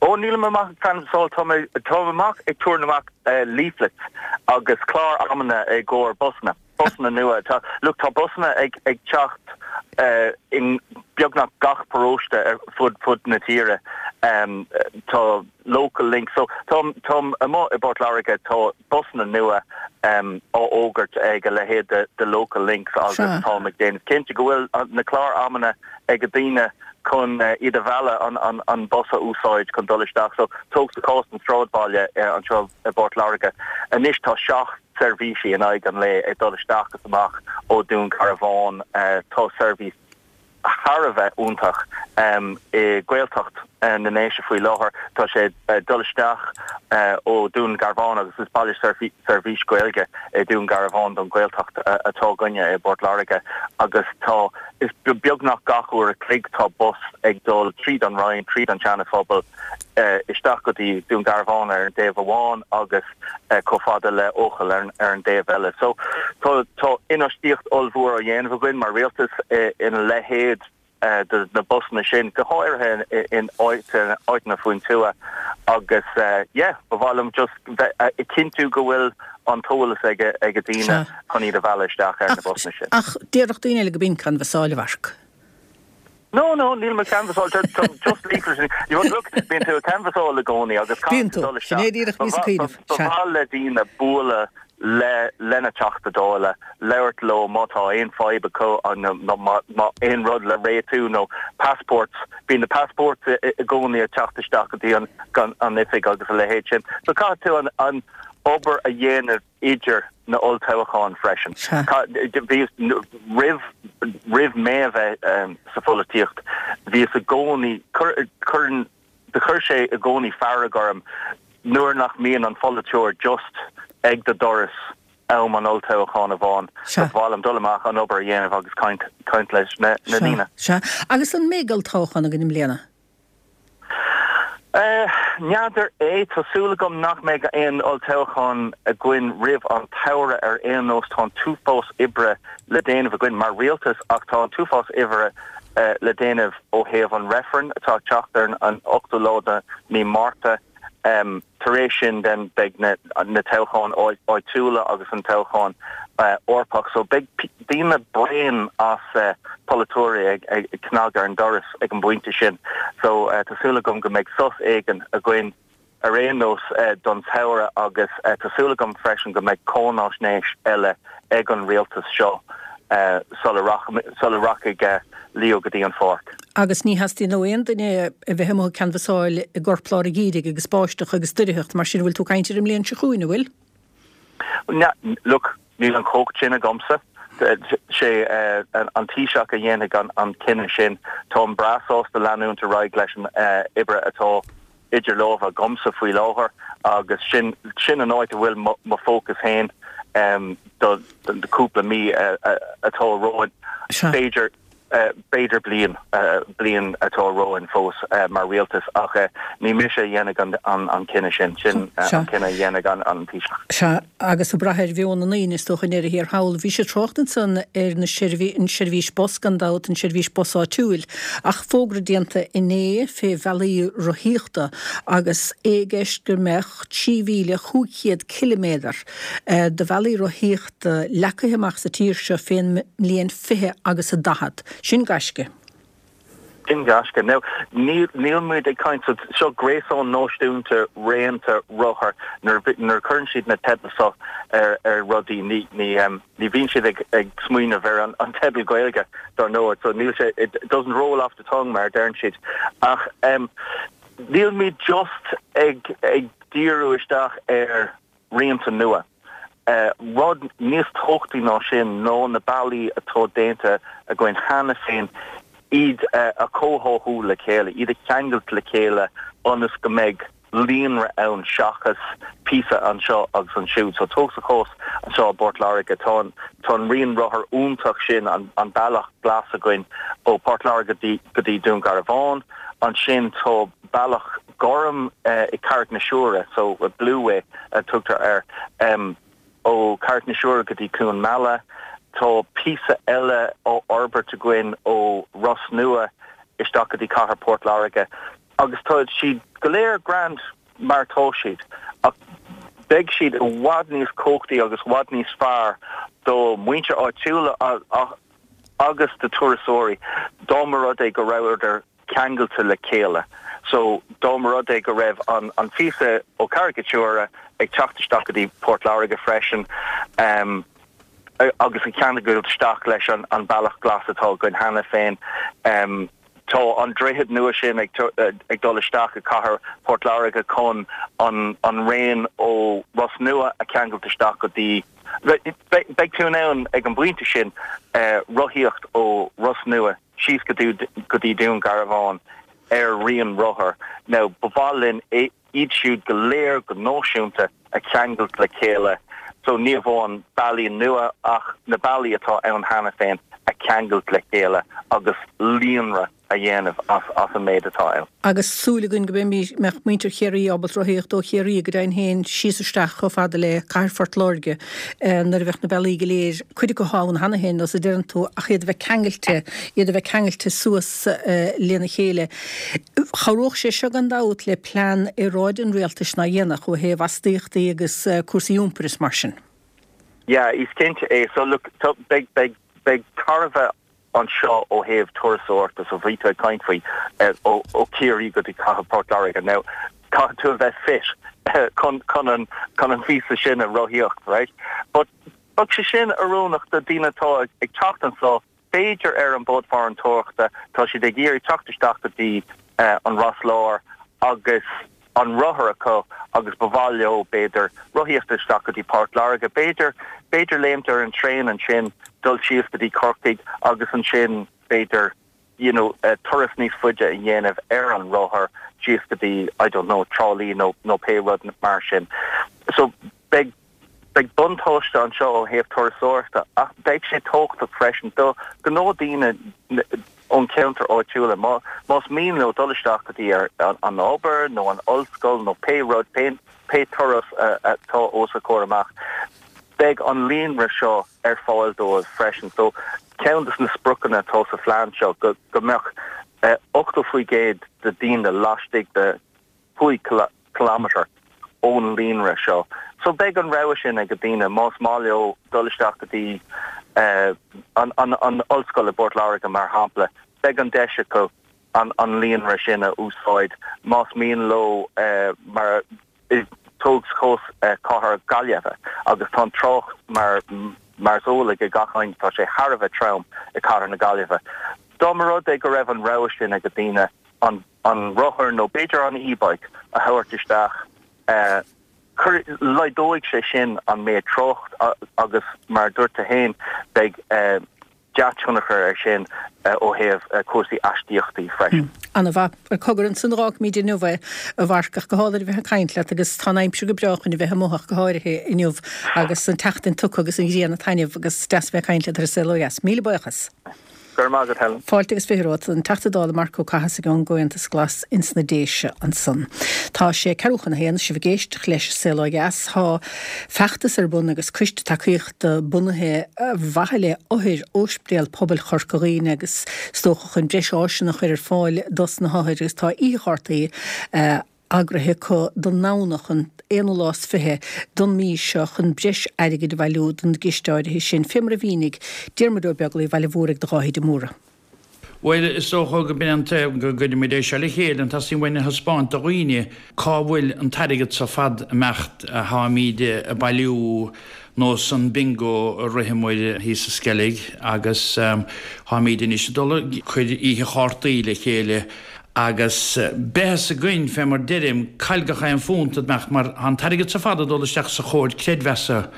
Ó, nílim amach ag canbhasáil, tá mé táim amach ag tabhairt amach leaflets agus clár amanna i gcomhair busanna. Busanna nua. Tá, look, tá busanna ag ag teacht in beagnach gach paróiste ar fud fud na tíre. Tá Local Link. So táim táim amuigh i bPort Láirge, tá busanna nua á fhógairt ag a leithéid de de Local Links agus táim ag déanamh cinnte go bhfuil na clár amanna ag daoine chun iad a mhealladh an an an bus a úsáid chun dul isteach. So tóg sa chás an sráidbhaile anseo i bPort Láirge anois tá seacht seirbhísí in aghaidh an lae ag dul isteach is amach ó Dún Garbhán. Tá seirbhís thar a bheith iontach i Gaeltacht na nDéise faoi láthair. Tá sé ag dul isteach ó Dún Garbhán agus is baile seirbhís Gaeilge i Dún Garbhán don Ghaeltacht atá againne i bPort Láirge agus tá is beagnach gach uair a chloig tá bus ag dul tríd an Rinn, tríd an Seana Phobal isteach go dtí Dún Garbhán ar an dtaobh amháin agus chomh fada le Eochaill ar ar an dtaobh eile. So tá tá infheistíocht ollmhór á dhéanamh againn mar rialtas ina leithéid de na busanna sin, go háirithe in áiteanna faoin tuath agus yeah, ba mhaith liom just bheith ag cinntiú go bhfuil an t-eolas ag ag daoine chun iad a mhealladh isteach ar na busanna sin. Ach déarfadh daoine eile go b'in canbhasáil, a Mharc. No, no, níl mé ag canbhasáil, just leaflets. You know, look, bíonn tú ag canbhasáil i gcónaí agus Bíonn caithfidh tú tú. dul Sin é isteach. díreach Ba a bhíos ag cuimhneamh. ba Sea. mhaith le daoine bualadh le lena Teachta Dála, labhairt leo má tá aon fadhb acu nó má má aon rud le réitiú nó passports, bíonn na passports i gcónaí ag teacht isteach go dtí an an oifig agus a leithéid sin. So caithfidh tú an an obair a dhéanamh idir na olltoghcháin freisin. Sea. Bhíos roimh roimh mé a bheith sa pholaitíocht, bhíos i gcónaí, cuireann, do chuir sé i gcónaí fearg orm nuair nach mbíonn an pholaiteoir just ag do doras am an olltoghcháin amháin. Sea. Ba mhaith liom dul amach, an obair a dhéanamh agus caint caint leis na Sea, daoine. sea. Agus an mbeidh olltoghchán againn i mbliana? N'fheadar é. Tá súil agam nach mbeidh aon olltoghchán againn roimh an tsamhradh ar aon nós. Tá an t-uafás oibre le déanamh againn mar rialtas ach tá an t-uafás oibre le déanamh ó thaobh an reifreann atá ag teacht ar an ochtú lá de mí Márta. Tar éis sin then beidh na toghcháin áitiúla agus an toghchán Eorpach so beidh daoine bréan as polaiteoirí ag cnagadh ar an doras ag an bpointe sin. So tá súil agam go mbeidh sos éigin againn ar aon nós don tsamhradh agus tá súil agam freisin go mbeidh cáinaisnéis eile ag an rialtas seo. sula rachaidh Leo go dtí an pháirc. Agus ní theastaíonn ó aon duine a bheith amuigh ag canbhasáil i gcorplár an gheimhridh agus báisteach agus doircheacht mar sin, bhfuil tú ag caint ar an mbliain seo chugainn, an bhfuil? Look, níl an chumhacht sin agamsa. Sé an Taoiseach a dhéanfaidh an cinneadh sin. Táim breá sásta leanúint ar aghaidh leis an oibre atá idir lámha agamsa faoi láthair agus sin sin an áit a bhfuil mo fócas féin do cúpla mí atá romhainn. B'fhéidir b'fhéidir bliain bliain atá romhainn fós mar rialtas ach ní mise a dhéanfaidh an cinneadh sin, sin an cinneadh a dhéanfaidh an Taoiseach. Sea, agus ag brath ar mheon na ndaoine is dócha i ndeireadh thiar thall. Bhí sé trácht ansan ar na an seirbhís bus gan dabht, an seirbhís bus áitiúil, ach fógra déanta inné fé bhealaí rothaíochta agus é i gceist go mbeadh trí mhíle chúig chéad ciliméadar de bhealaí rothaíochta leagtha amach sa tír seo fén mbliain fiche agus a daichead. Sin gaisce. Sin gaisce. Now, níl níl muid ag caint, so seo gréasán náisiúnta raonta rothar, nuair nuair a chuireann siad na teidil seo ar ar rudaí ní ní ní bhíonn siad ag ag smaoineamh ar an an teideal Gaeilge dar ndóigh, so níl sé, it doesn't roll off the tongue mar a deireann siad. Ach um níl muid just ag ag díriú isteach ar raonta nua. Rud níos tábhachtaí ná sin ná na bealaí atá déanta againn cheana féin, iad a chomhtháthú le chéile, iad a cheangailt le chéile ionas go mbeidh líonra ann seachas píosa anseo agus ansiúd. So tóg sa chás anseo i bPort Láirge, tá an tá an rian rothar iontach sin, an an bealach glas againn ó Port Láirge go dtí go dtí Dún Garbhán, ansin tá bealach gorm i Carraig na Siúire, so Blueway a tugtar air, ó Carraig na Siúire go dtí Cluain Meala. Tá píosa eile á fhorbairt againn ó Ros Nua isteach go dtí cathair Port Láirge agus tá siad go léir grand mar atá siad ach beidh siad i bhfad níos cumhachtaí agus i bhfad níos fearr do mhuintir áitiúla agus do turasóirí dá mba rud é go rabhadar ceangailte le chéile. So, dá mba rud é go raibh an an phíosa ó Carraig na Siúire ag teacht isteach go dtí Port Láirge freisin um, agus ag ceangailt isteach leis an an bealach glas atá againn cheana féin, um, tá an droichead nua sin ag ag dul isteach i cathair Port Láirge chun an an raon ó Ros Nua a cheangailt isteach go dtí Beidh tú in ann ag an bpointe sin rothaíocht ó Ros Nua síos go go dtí Dún Garbhán ar rian rothar. Now, ba mhaith linn iad siúd go léir go náisiúnta a cheangailt le chéile so ní amháin bealaí nua ach na bealaí atá ann cheana féin a cheangailt le chéile agus líonra a dhéanamh as as an méid atá ann. Agus súil againn go mbeidh muintir Chiarraí ábalta rothaíocht ó Chiarraí go deimhin féin síos isteach chomh fada le Cathair Phort Láirge nuair a bheadh na bealaí go léir, cuid acu ann cheana féin, nós a deireann tú, ach iad a bheith ceangailte, iad a bheith ceangailte suas lena chéile. Chabhródh sé seo gan dabht le plean aeráide an rialtais ná dhéanfadh ó thaobh astaíochtaí agus cúrsaí iompair is mar sin. Yeah, is cinnte é. So look, beidh, beidh, beidh tairbhe anseo ó thaobh turasóireachta so bhí tú ag caint faoi ó ó Chiarraí go dtí cathair Port Láirge. Now, caithfidh tú a bheith fit chun chun an chun an phíosa sin a rothaíocht, right? But bheadh sé sin oiriúnach do daoine atá ag teacht anseo, b'fhéidir ar an bord farantóireachta, tá siad ag iarraidh teacht isteach go dtí an Ros Láir agus an rothar acu agus ba mhaith leo, b'fhéidir, rothaíocht isteach go dtí Port Láirge, b'fhéidir, b'fhéidir léimt ar an traein ansin, dul síos go dtí Corcaigh agus ansin, b'fhéidir, you know, turas níos faide a dhéanamh ar an rothar síos go dtí, I don't know, Trá Lí nó, nó pé rud mar sin. So, beidh. Beidh buntáiste anseo ó thaobh turasóireachta ach beidh sé tábhachtach freisin do ghnáthdhaoine ón cheantar áitiúla. Más mian leo dul isteach go dtí an obair nó an ollscoil nó pé rud, pé turas atá os a gcomhair amach, beidh an líonra seo ar fáil dóibh freisin. So ceann de na spriocanna atá sa phlean seo go mbeadh ochtó faoi gcéad de daoine laistigh de cúig kilometre ón líonra seo. So beidh an rogha sin ag daoine más maith leo dul isteach go dtí an an ollscoil i bPort Láirge mar shampla, beidh an deis acu an an líonra sin a úsáid más mian leo mar tóg cás cathair Gaillimhe agus tá an trácht mar Mar is eol ag gach éinne tá sé thar a bheith trom i cathair na Gaillimhe. Dá mba rud é go raibh an rogha sin ag daoine an an rothar nó b'fhéidir an e-bike a thabhairt isteach eh, laghdóidh sé sin an méid trácht agus mar dúirt tú féin beidh eh, dea-thionchar air sin eh, ó thaobh eh, cúrsaí astaíochtaí freisin. Hmm. An-mhaith. Cogar ansan a dh'fhágfaimid inniu é a Mharc ach go hálainn a bheith ag caint leat agus tá an aimsir go breá chun a bheith amuigh ach go háirithe inniu agus an tseachtain tugtha agus an ghrian ag taitneamh agus deas bheith ag caint leat ar an Saol Ó Dheas. Míle buíochas. Go raibh maith agat Helen. Fáilte agus fiche romhat, an Teachta Dála Marc Ó Cathasaigh ón gComhaontas Glas ins na Déise ansan. Tá sé ceathrú chun a haon, sibh ag éisteacht leis an Saol Ó Dheas. Tá feachtas ar bun agus coiste tacaíochta bunaithe ar mhaithe le othair Ospidéal Pobail Chorca Dhuibhne agus is dócha chun breis áiseanna a chur ar fáil dos na hothair agus tá oíche chártaí eagraithe acu don nDomhnach an aonú lá is fiche don mí seo chun breis airgid a bhailiú don gciste áirithe sin, fé mar a mhínigh Diarmuid Ó Beaglaoich Bhaile Mhúraigh do Dháithí de Mórdha. Bhuel, is dócha go b'in an taobh go gcuirimid é seo le chéile, an teastaíonn uainn a thaispeáint do dhaoine cá bhfuil an t-airgead seo fad imeacht a tháimid a bailiú nós an bingo a ritheamair thíos sa Sceilg agus tháimid anois ag dul ag cur oíche chártaí le chéile Agus beidh fhios againn, fé mar deirim, caill gach aon phunt a mbeadh, mar tá an t-airgead so fad ag dul isteach sa chomhar creidmheasa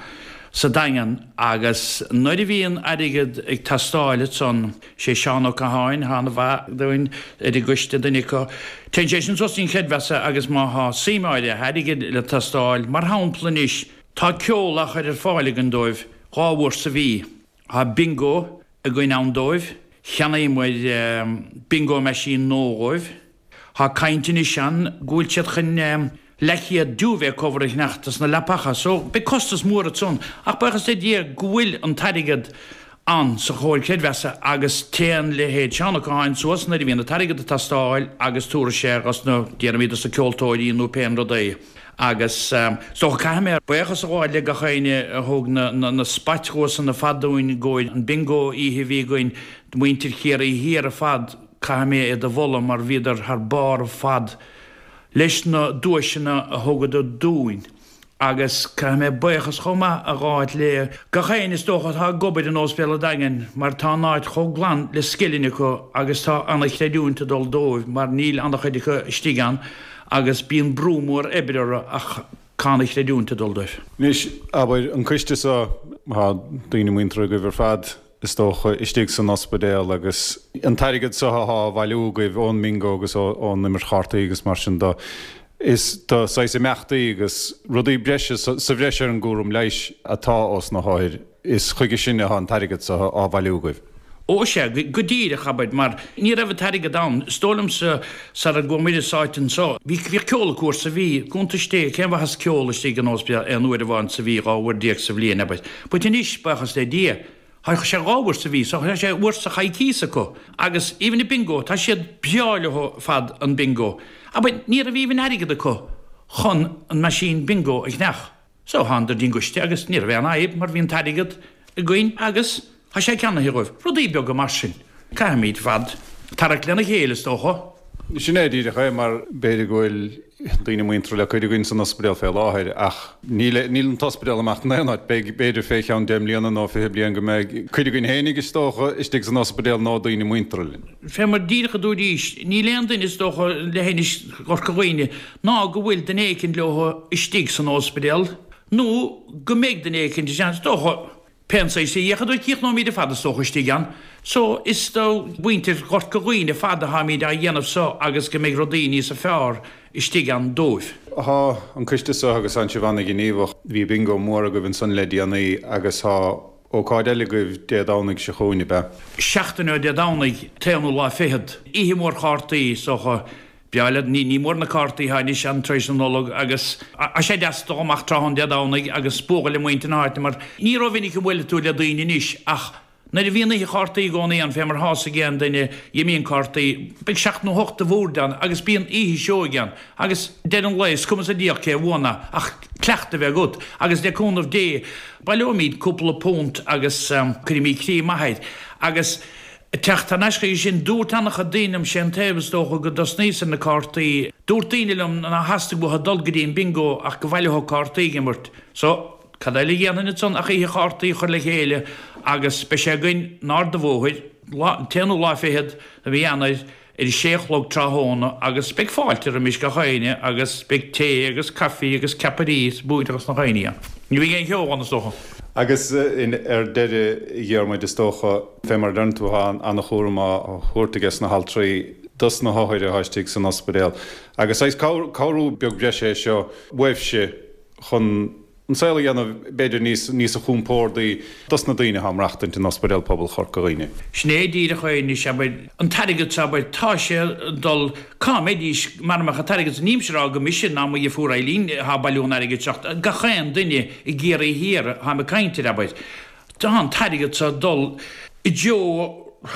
sa Daingean agus nuair a bhíonn airgead ag teastáil ansan, sé Seán Ó Catháin, atá ana-mhaith dúinn ar an gcoiste, duine acu, téann sé sin suas dtí'n chreidmheasa agus má thá suim áirithe airgid le teastáil, mar shampla anois, tá ceol á chur ar fáil againn dóibh dhá uair sa mhí, tá bingo againn ann dóibh. Cheannaíomair bingo machine nua dhóibh. Thá caint anois ann go bhfuil siad chun leathchéad duvet cover a cheannacht dos na leapacha so beidh costas mór ansan ach buíochas le Dia go bhfuil an t-airgead ann sa chomhar creidmheasa agus téann leithéid Seán Ó Catháin suas nuair a bhíonn an t-airgead ag teastáil agus tabharfaidh sé dhos na, déarfaimid dos na ceoltóirí nó pé an rud é. Agus is dócha caithfidh mé buíochas a ghabháil le gach éinne a thug na na spait dhuaiseanna ar fad dúinn i gcomhair an bingo oíche a bhí againn, muintir Chiarraí Thiar ar fad, caithfidh mé iad a mholadh mar bhíodar thar barr ar fad leis na duaiseanna a thugadar dúinn. Agus caithfidh mé buíochas chomh maith a ghabháil le gach éinne is dócha atá ag obair in Óispidéal an Daingin mar tá an áit chomh glan le scilling acu agus tá ana-chreidiúint ag dul dóibh mar níl ana-chuid acu istigh ann agus bíonn brú mór oibre orthu ach tá ana-chreidiúint ag dul dóibh. Anois, abair, an coiste seo, tá daoine muinteartha agaibh ar fad, is dócha, istigh san ospidéal agus an t-airgead seo athá á bhailiú agaibh ón mbingo agus ón imirt chártaí agus mar sin de, is do saghas imeachtaí agus rudaí breise sa bhreis ar an gcúram leighis atá ós na hothair, is chuige sin athá an t-airgead seo á bhailiú agaibh. Ó sea, go díreach, abair, mar ní raibh an t-airgead ann. Is dóigh liomsa, sara gcuamair as áit anso, bhí, bhíodh ceol acu uair sa mhí, cuntais Dé, cén mhaitheas ceol istigh in óispidéal aon uair amháin sa mhí, dhá uair déag sa bhliain, abair. But anois, buíochas le Dia, tá sé dhá uair sa mhí, so tá sé uair sa choicíos acu. Agus even an bingo, tá siad breá leo ar fad an bingo. Abair, ní raibh even airgead acu chun an machine bingo a cheannach. So thánadar dtí'n gcoiste agus ní raibh aon fhadhb mar bhí an t-airgead againn agus tá sé ceannaithe dhóibh. Rudaí beaga mar sin. Caithfimid ar fad tarrac lena chéile is dócha. Sin é díreach é mar b'fhéidir go bhfuil daoine muinteartha le cuid againn san ospidéal fé láthair ach níl níl an t-ospidéal amach in aon áit. Beidh b'fhéidir fé cheann deich mbliana nó fiche bliain go mbeidh cuid againn fhéinig is dócha istigh san ospidéal nó daoine muinteartha linn. Fé mar díreach a dúraís, níl aon duine is dócha leithinis Chorca Dhuibhne ná go bhfuil duine éicint leo istigh san óspidéal nó go mbeidh duine éicint, is dócha, pén saghas a fhéachadar críochnóimíd ar fad is dócha istigh ann. So is do mhuintir Chorca Dhuibhne ar fad atháimíd á dhéanamh so agus go mbeidh rudaí níosa fearr istigh ann dóibh. Thá an coiste so agus tánn sibh ana-ghníomhach. Bhí bingo mór agaibh ansan le déanaí agus thá ócáid eile agaibh Dé Domhnaigh seo chugainn, ab ea? Seachtain ó Dé Domhnaigh, t-aonú lá fichead, oíche mhór chártaí is dócha. Breá le, ní, ní mór na cártaí atá anois ann tar éis na Nollag agus tá sé deas dul amach tráthnóna Dé Domhnaigh agus bualadh le muintir na háite mar ní rómhinic a bhuaileann tú le daoine anois ach nuair a bhíonn oíche chártaí i gcónaí ann fé mar thá's ag aon duine imíonn cártaí, beidh seacht nó hocht de bhoird ann agus bíonn oíche seoigh ann agus deireadh an lae is cuma sa diabhal cé a bhuann ach cleachtadh a bheith agat agus le cúnamh Dé baileoimid cúpla punt agus cuirfimid croí maith air agus Teacht thar n-ais chuige sin, dúirt an-chuid daoine liom, sé an taobh is dócha go dtosnaíos ar na cártaí, dúirt daoine liom nár theastaigh uathu dul go dtí an bingo ach go bhfaileodh cártaí ag imirt. So, Cad eile a dhéanfainn ansan ach oíche chártaí a chur le chéile agus beidh sé againn in Ard a' Bhóthair, an t-aonú lá fichead de mhí Eanáir ar a sé a chlog tráthnóna agus beidh fáilte roimis gach éinne agus beidh tae agus caife agus ceapairí is buaiteachas na dhaoine ann. Ní bheidh aon cheo ann is dócha. Agus ar deireadh, a Dhiarmuid, is dócha, fé mar a deireann tú, tá an-chúram á thabhairt aige sna haltraí dos na hothair atá istigh san ospidéal. Agus saghas cabhrú beag breise é seo uaibhse chun an saol a dhéanamh b'fhéidir níos níosa chompórdaí dos na daoine atá ag maireachtaint in Ospidéal Pobail Chorca Dhuibhne. Sin é díreach é anois, abair, an t-airgead seo, abair, tá sé ag dul, cá mbeidís mara mbeadh an t-airgead seo, nílimse ag rá gur mise ná mo dheirfiúr Eileen atá ag bailiú an airgid seo, ach gach aon duine i gCiarraí Thiar atáim ag caint air, abair, tá an t-airgead seo ag dul i dtreo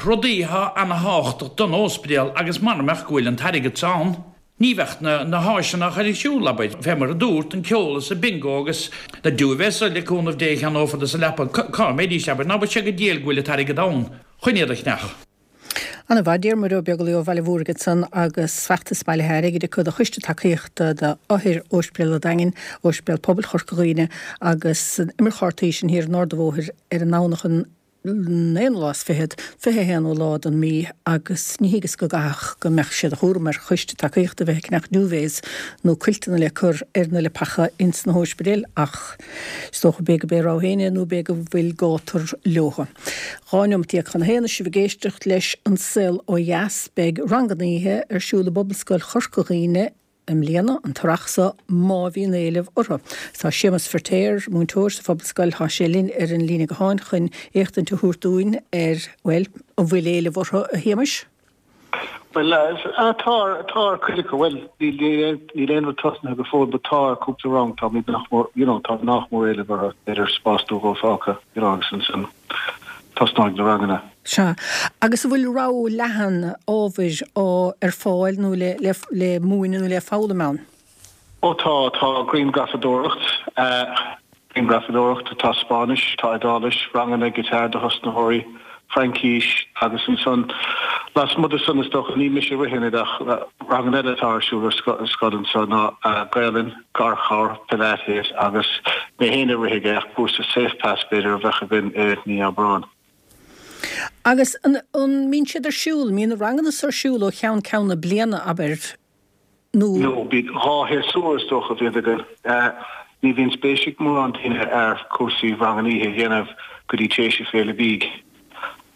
rudaí atá ana-thábhachtach don óspidéal agus mara mbeadh go bhfuil an t-airgead seo ann. Ní bheadh na na háiseanna á chur ar siúl, abair, fé mar a dúrt, an ceol is an bingo agus na duvets le cúnamh Dé a cheannófar dos an leapa, cá mbeidís, abair, ná beadh sé go diail go bhfuil an t-airgead ann chun iad a cheannach. Ana mhaith, Diarmuid Ó Beaglaoi ó Bhaile Bhúirne ansan agus feachtas bailithe airgid acu do Choiste Tacaíochta d'Othair Ospidéal an Daingin, Ospidéal Pobail Chorca Dhuibhne agus an imirt chártaí sin thiar in Ard a' Bhóthair ar an nDomhnach an aonú lá is fichead, fiche haonú lá den mí agus ní thuigeas go gcaithfeadh go mbeadh sé de chúram ar choiste tacaíochta bheith ag ceannach duvets nó cuilteanna le cur ar na leapacha ins na hóispidéil ach is dócha b'fhéidir go b'é a rogha féin é nó b'fhéidir go bhfuil gátar leotha. Dhá neomat déag chun a haon is sibh ag éisteacht leis An Saol Ó Dheas beidh ranganna oíche ar siúl i bPobalscoil Chorca Dhuibhne i mbliana, an t-earrach seo, má bhíonn éileamh orthu. Tá Séamus Feirtéar, múinteoir sa Phobalscoil, tá sé linn ar an líne gutháin chun éachtaint a thabhairt dúinn ar, bhuel, an bhfuil éileamh orthu, a Shéamais? Bhuel, tá, tá ar cuid acu. Bhuel, níl aon rud tosnaithe go fóill, but tá ar cúpla rang, táimid nach mór, you know, tá nach mór éileamh orthu, b'fhéidir spás nó dhó fágtha, you know, agus ansan tosnóidh na ranganna. Sea. Agus an bhfuil rogha leathan ábhair á ar fáil nó le le le múineadh nó le foghlaim ann? Ó tá, tá grianghrafadóireacht, grianghrafadóireacht, tá Spáinnis, tá Iodáilis, ranganna guitar do thosnaitheoirí, Fraincís agus ansan lasmuigh de san is dócha, ní mise a ritheann iad ach ranganna eile atá ar siúl ar scoil anseo ná Gaelainn, Garchabhair, Pilates agus mé féin a rithfidh é ach cúrsa Safe Pass b'fhéidir a bheadh againn i mí Aibreáin. Agus an mbíonn siad ar siúl, mbíonn na ranganna so ar siúl ó cheann ceann na bliana, abair, nó? No, bíonn dhá shéasúr is dócha a bhíonn againn. Ní bhíonn spéis ag mórán daoine ar chúrsaí ranganna oíche a dhéanamh go dtí tar éis an Féile Bídh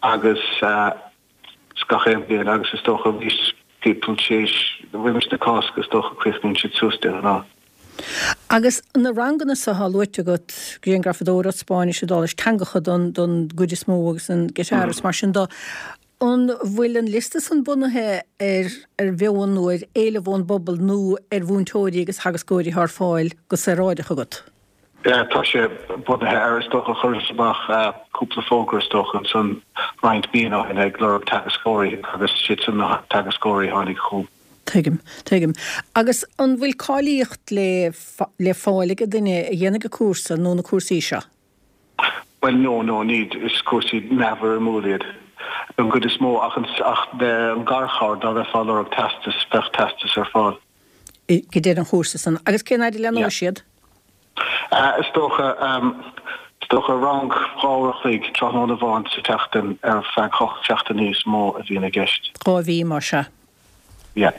agus gach aon bhliain agus is dócha arís timpeall tar éis roimis na Cásca is dócha críochnaíonn siad suas de ghnáth. Agus na ranganna so atá luaite agat, grianghrafadóireacht, Spáinnis, Iodáilis, teangacha don don gcuid is mó agus an guitar is mar sin de, an bhfuil an liosta san bunaithe ar ar mheon nó ar éileamh ón bpobal nó ar mhúinteoirí agus theagascóirí atá ar fáil go saoráideach agat? Yeah, tá sé bunaithe ar, is dócha, chuireas amach cúpla fógra is dócha ansan roinnt míonna ó shin ag lorg teagascóirí agus siad san na teagascóirí a tháinig chugam. Tuigim, tuigim. Agus an bhfuil cáilíocht le le fáil ag duine a dhéanfaidh an cúrsa nó na cúrsaí seo? Bhuel, no, no, ní, is cúrsaí neamhfhoirmiúil iad don gcuid is mó ach an, ach an garchabhair, dá mbeifeá ag lorg teastas, bheadh teastas ar fáil. Ag deireadh an chúrsa san. Agus cén fhaid a Yeah. leathnóidh siad? Is dócha, is dócha rang dhá uair a chloig tráthnóna amháin sa tseachtain ar feadh ocht seachtainí is mó a bhíonn i gceist. Dhá mhí, más ea. Yeah.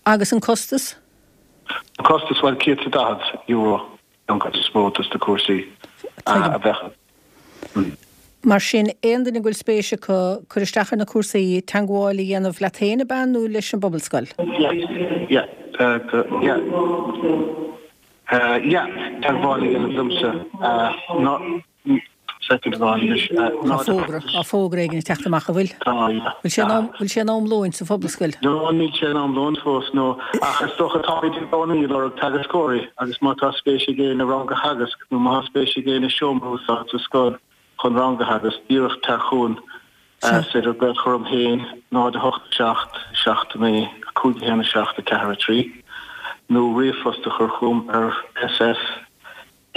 Agus an costas? An costas, bhuel, céad is daichead euro an chuid is mó dos na cúrsaí a bheadh. Mar sin, aon duine go bhfuil spéis acu cur isteach ar na cúrsaí, teagmháil a dhéanamh leat féin, ab ea, nó leis an bPobalscoil? Yeah, yeah, yeah, yeah, teagmháil a dhéanamh liomsa ná, second amháin anois, Tá fógra, tá fógra éigin ag teacht amach, an bhfuil? Tá, yeah. Bhfuil sé in am, bhfuil sé in am lóin sa Phobalscoil? No, níl sé in am lóin fós, no, ach is dócha táimid i gcónaí ag lorg teagascóirí agus má tá spéis ag éinne rang a theagasc nó má tá spéis ag éinne seomra a úsáid sa scoil chun rang a theagasc, díreach tar chugainn. Is féidir glaoch a chur orm féin, náid a hocht seacht, seacht naoi, cúig a haon a seacht a ceathair a trí, nó ríomhphost a chur chugam ar sf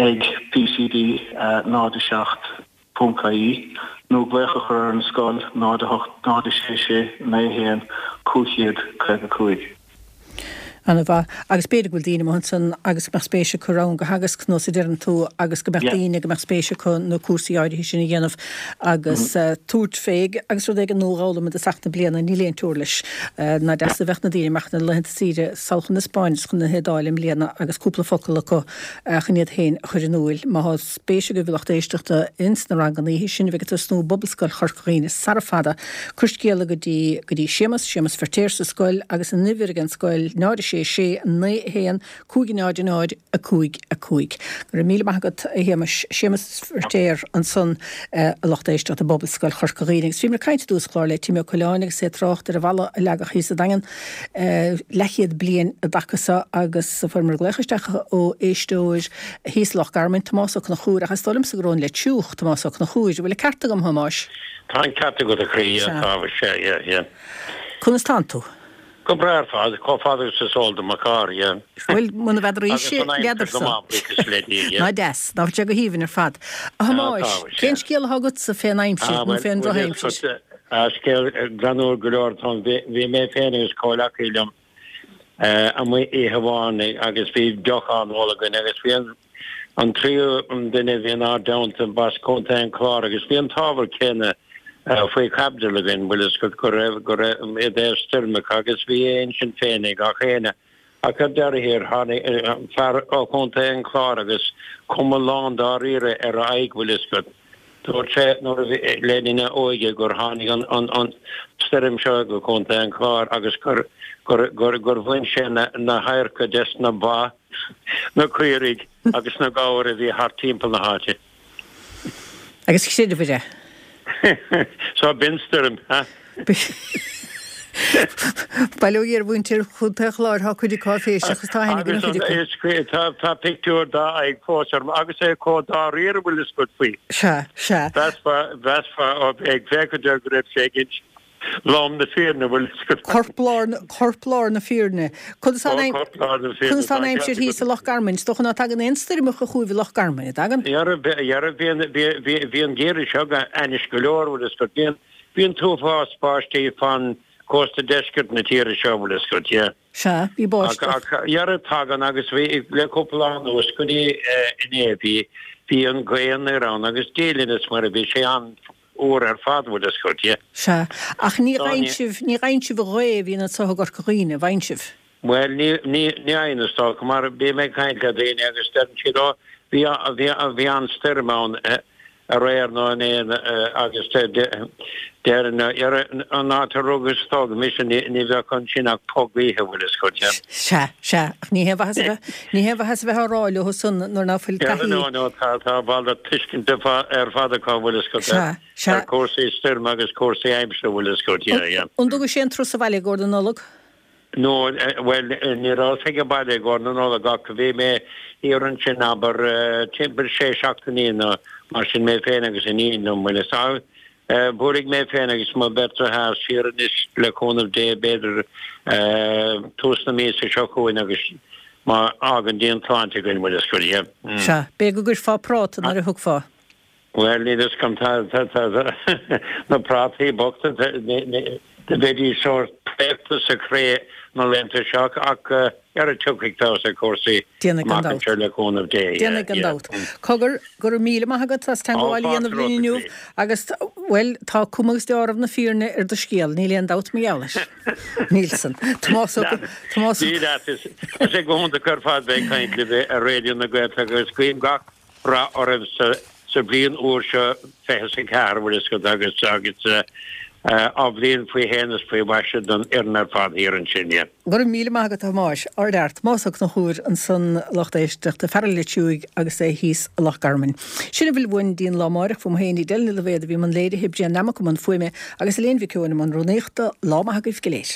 ag pcd náid a seacht ponc ie nó glaoch a chur ar an scoil, náid a hocht, náid a sé sé, naoi a haon, cúig chéad caoga cúig. Ana mhaith. Agus b'fhéidir go bhfuil daoine amuigh ansan agus go mbeadh spéis acu rang a theagasc nós a deireann tú agus go mbeadh daoine go mbeadh spéis acu na cúrsaí áirithe sin a dhéanamh agus tabhairt fé agus rud éigin nua a dh'fhoghlaim i dtosach na bliana, níl aon teora leis. Nach deas a bheadh na daoine amach na laethanta saoire sall chun na Spáinne is chun na hIodáile i mbliana agus cúpla focal acu chun iad féin a chur in úil. Má thá spéis agaibh a lucht éisteachta ins na ranganna oíche sin a bheidh ag tosnú i bPobalscoil Chorca Dhuibhne sara fada, cuir scéala go dtí go dtí Séamus, Séamus Feirtéar sa scoil agus an uimhir ag an scoil, náid a sé sé, naoi a haon, cúig a náid a náid, a cúig a cúig. Go raibh míle maith agat a Shéamais. Séamus Feirtéar ansan a lucht éisteachta i bPobalscoil Chorca Dhuibhne. Agus bhíomar ag caint i dtús an chláir le Tim Ó Coileáin agus é ag trácht ar an bhalla a leagadh thíos sa Daingean leathchéad bliain i dtaca seo agus fuaireamar glaoch isteach ó éisteoir thíos i Loch Garman, Tomás Ó Conchúir, ach is dóigh liomsa gur ón Leitir Siúch, Tomás Ó Conchúir. An bhfuil an ceart agam, a Thomáis? Tá an ceart agat a chroí, yeah, tá, sea, yeah, yeah. Conas tánn tú? Go breá ar fad, chomh fada agus is eol do mo charr, yeah. Bhuel, muna bhfeadraís Agus an aimsir go n'fheadarsa. maith, buíochas le Dia, yeah. Ná deas, ná bhfuil sé go haoibhinn ar fad. A Tá, Thomáis, tá, sea. cén scéal atá agatsa fén aimsir Ah, nó bhuel, fén bhuel, drochaimsir? ah, scéal greannúr go leor atá ann. Bhí, bhí mé féin agus comhleacaí liom eh, amuigh oíche amháin agus bhí deoch á n-ól againn agus bhí an, an tríú duine a bhí inár dteannta b'as Contae an Chláir agus bhí an t-ábhar céanna faoi chaibidil againn, bhfuil fhios agat, go raibh, go raibh, i dtaobh stoirmeacha agus bhí a intinn féin ag gach éinne. Ach ar deireadh thiar, tháinig fear ó Chontae an Chláir agus cuma lán dáiríre ar a aghaidh, bhfuil fhios agat. Dúirt sé nuair a bhí, le linn a óige gur tháinig an, an, an stoirm seo go Contae an Chláir agus gur, gur, gur, gur bhain sé na, na hadharca des na ba, na caoirigh agus na gabhair a bhí thart timpeall na háite. Agus chreideabhair é. So b'in stoirm, ha? Bail ó Dhia ar mhuintir Chontae an Chláir, tá cuid acu áiféiseach agus tá aithne agam ar chuid acu. Tá pictiúr dá aghaidh fós orm agus é chomh dáiríre bhfuil fhios agat faoi. Sea, sea. Mheasfá, mheasfá ó bheith ag féachaint air go raibh sé ag inse lom na fírinne, bhfuil fhios agat. Corp lár, corp lár na fírinne. Conas tá Ó, corp lár na fírinne, conas tá tá an an aimsir ceart thíos agat. i Loch Garman? Is dócha ná tagann aon stoirmeacha chugaibh i Loch Garman, an dtagann? Dhera, dhera, bhí an, bhí, bhí, bhí an geimhreadh seo ainnis go leor, bhfuil fhios agat. Bhí an, bhí an t-uafás báistí fan cósta deiscirt na tíre seo, bhfuil fhios agat, yeah. Sea, bhí Ach, báisteach. ach, dhera, tagann agus bhí, le cúpla lá anuas go dtí inné, bhí, bhí an ghaoth anoir ann agus Dia linn is Muire, bhí sé an, fhuar ar fad, bhfuil fhios agat, yeah. Sea, ach ní Ní. fhaigheann sibh, ní fhaigheann sibh an ghaoth a bhíonn anseo i gCorca Dhuibhne, an bhfaigheann sibh? Bhuel, ní, ní, ní fhaigheann is dócha, mar bím ag caint le daoine agus deireann siad, ó, bhí, bhí, bhí an-stoirm ann aréir nó inné agus deireann, an áit a rugadh is a tógadh mise, ní, ní bheadh ansin ach puth gaoithe, bhfuil fhios agat, yeah. Sea, sea, ach ní haon mhaitheas a bheith, ní haon mhaitheas a bheith á rá leo san nuair ná fuil Yeah, taithí. no, no, tá, tá bhal de tuiscint ar fad acu, bhfuil fhios agat, Sea, sea. ar cúrsaí stoirme agus cúrsaí aimsire, bhfuil fhios agat, yeah, yeah. An dtugais aon turas abhaile i gcomhair na Nollag? No, bhuel, ní rabhas ag baile i gcomhair na Nollag ach bhí mé thiar ansin, abair, timpeall sé seachtainí nó mar sin, mé féin agus iníon liom, bhfuil fhios agat. Buailfidh mé féin agus mo bheirt deartháir siar anois le cúnamh Dé, b'fhéidir tús na míosa seo chugainn agus má fhágann Dia an tsláinte againn, bhfuil fhios agat, yeah. Sea, b'fhéidir go gcuirfeá práta nuair a thiocfá. Bhuel, níl fhios agam, tá, tá, tá, na prátaí bochta, do bheidís sórt préachta sa chré na laethanta seo ach dhera tiocfaidh feabhas ar chúrsaí Déanfaidh gan amach dabht. anseo le cúnamh Dé, yeah, Déanfaidh gan yeah. dabht. Cogar, go raibh míle maith agat as Ó, teangmháil a fáilte dhéanamh linn romhat, inniu a chroí. agus, bhuel, tá cuma agus deáramh na fírinne ar do scéal, níl aon dabht mar gheall air. Níl san. Tomás Ó Tomás Ó Dia leat, is is é go hiontach ar fad bheith ag caint libh ar Raidió na Gaeltachta agus guím gach rath oraibh sa sa bhliain úr seo fiche is a ceathair, bhfuil fhios agat, agus agus athbhliain faoi shéan is faoi mhaise don fhoireann ar fad thiar ansin, yeah. Go raibh míle maith agat a Thomáis. Ardfhear. Tomás Ó Conchúir ansan a lucht éisteachta, fear an Leitir Siúig agus é thíos i Loch Garman. Sin a bhfuil uainn dtí'n lá amáireach uaim féin Edel Ní Loibhéad a bhí i mbun léirithe, Brian Nammock i mbun fuaime agus Elaine Mhic Eoin i mbun rúnaíochta. Lá maith agaibh go léir.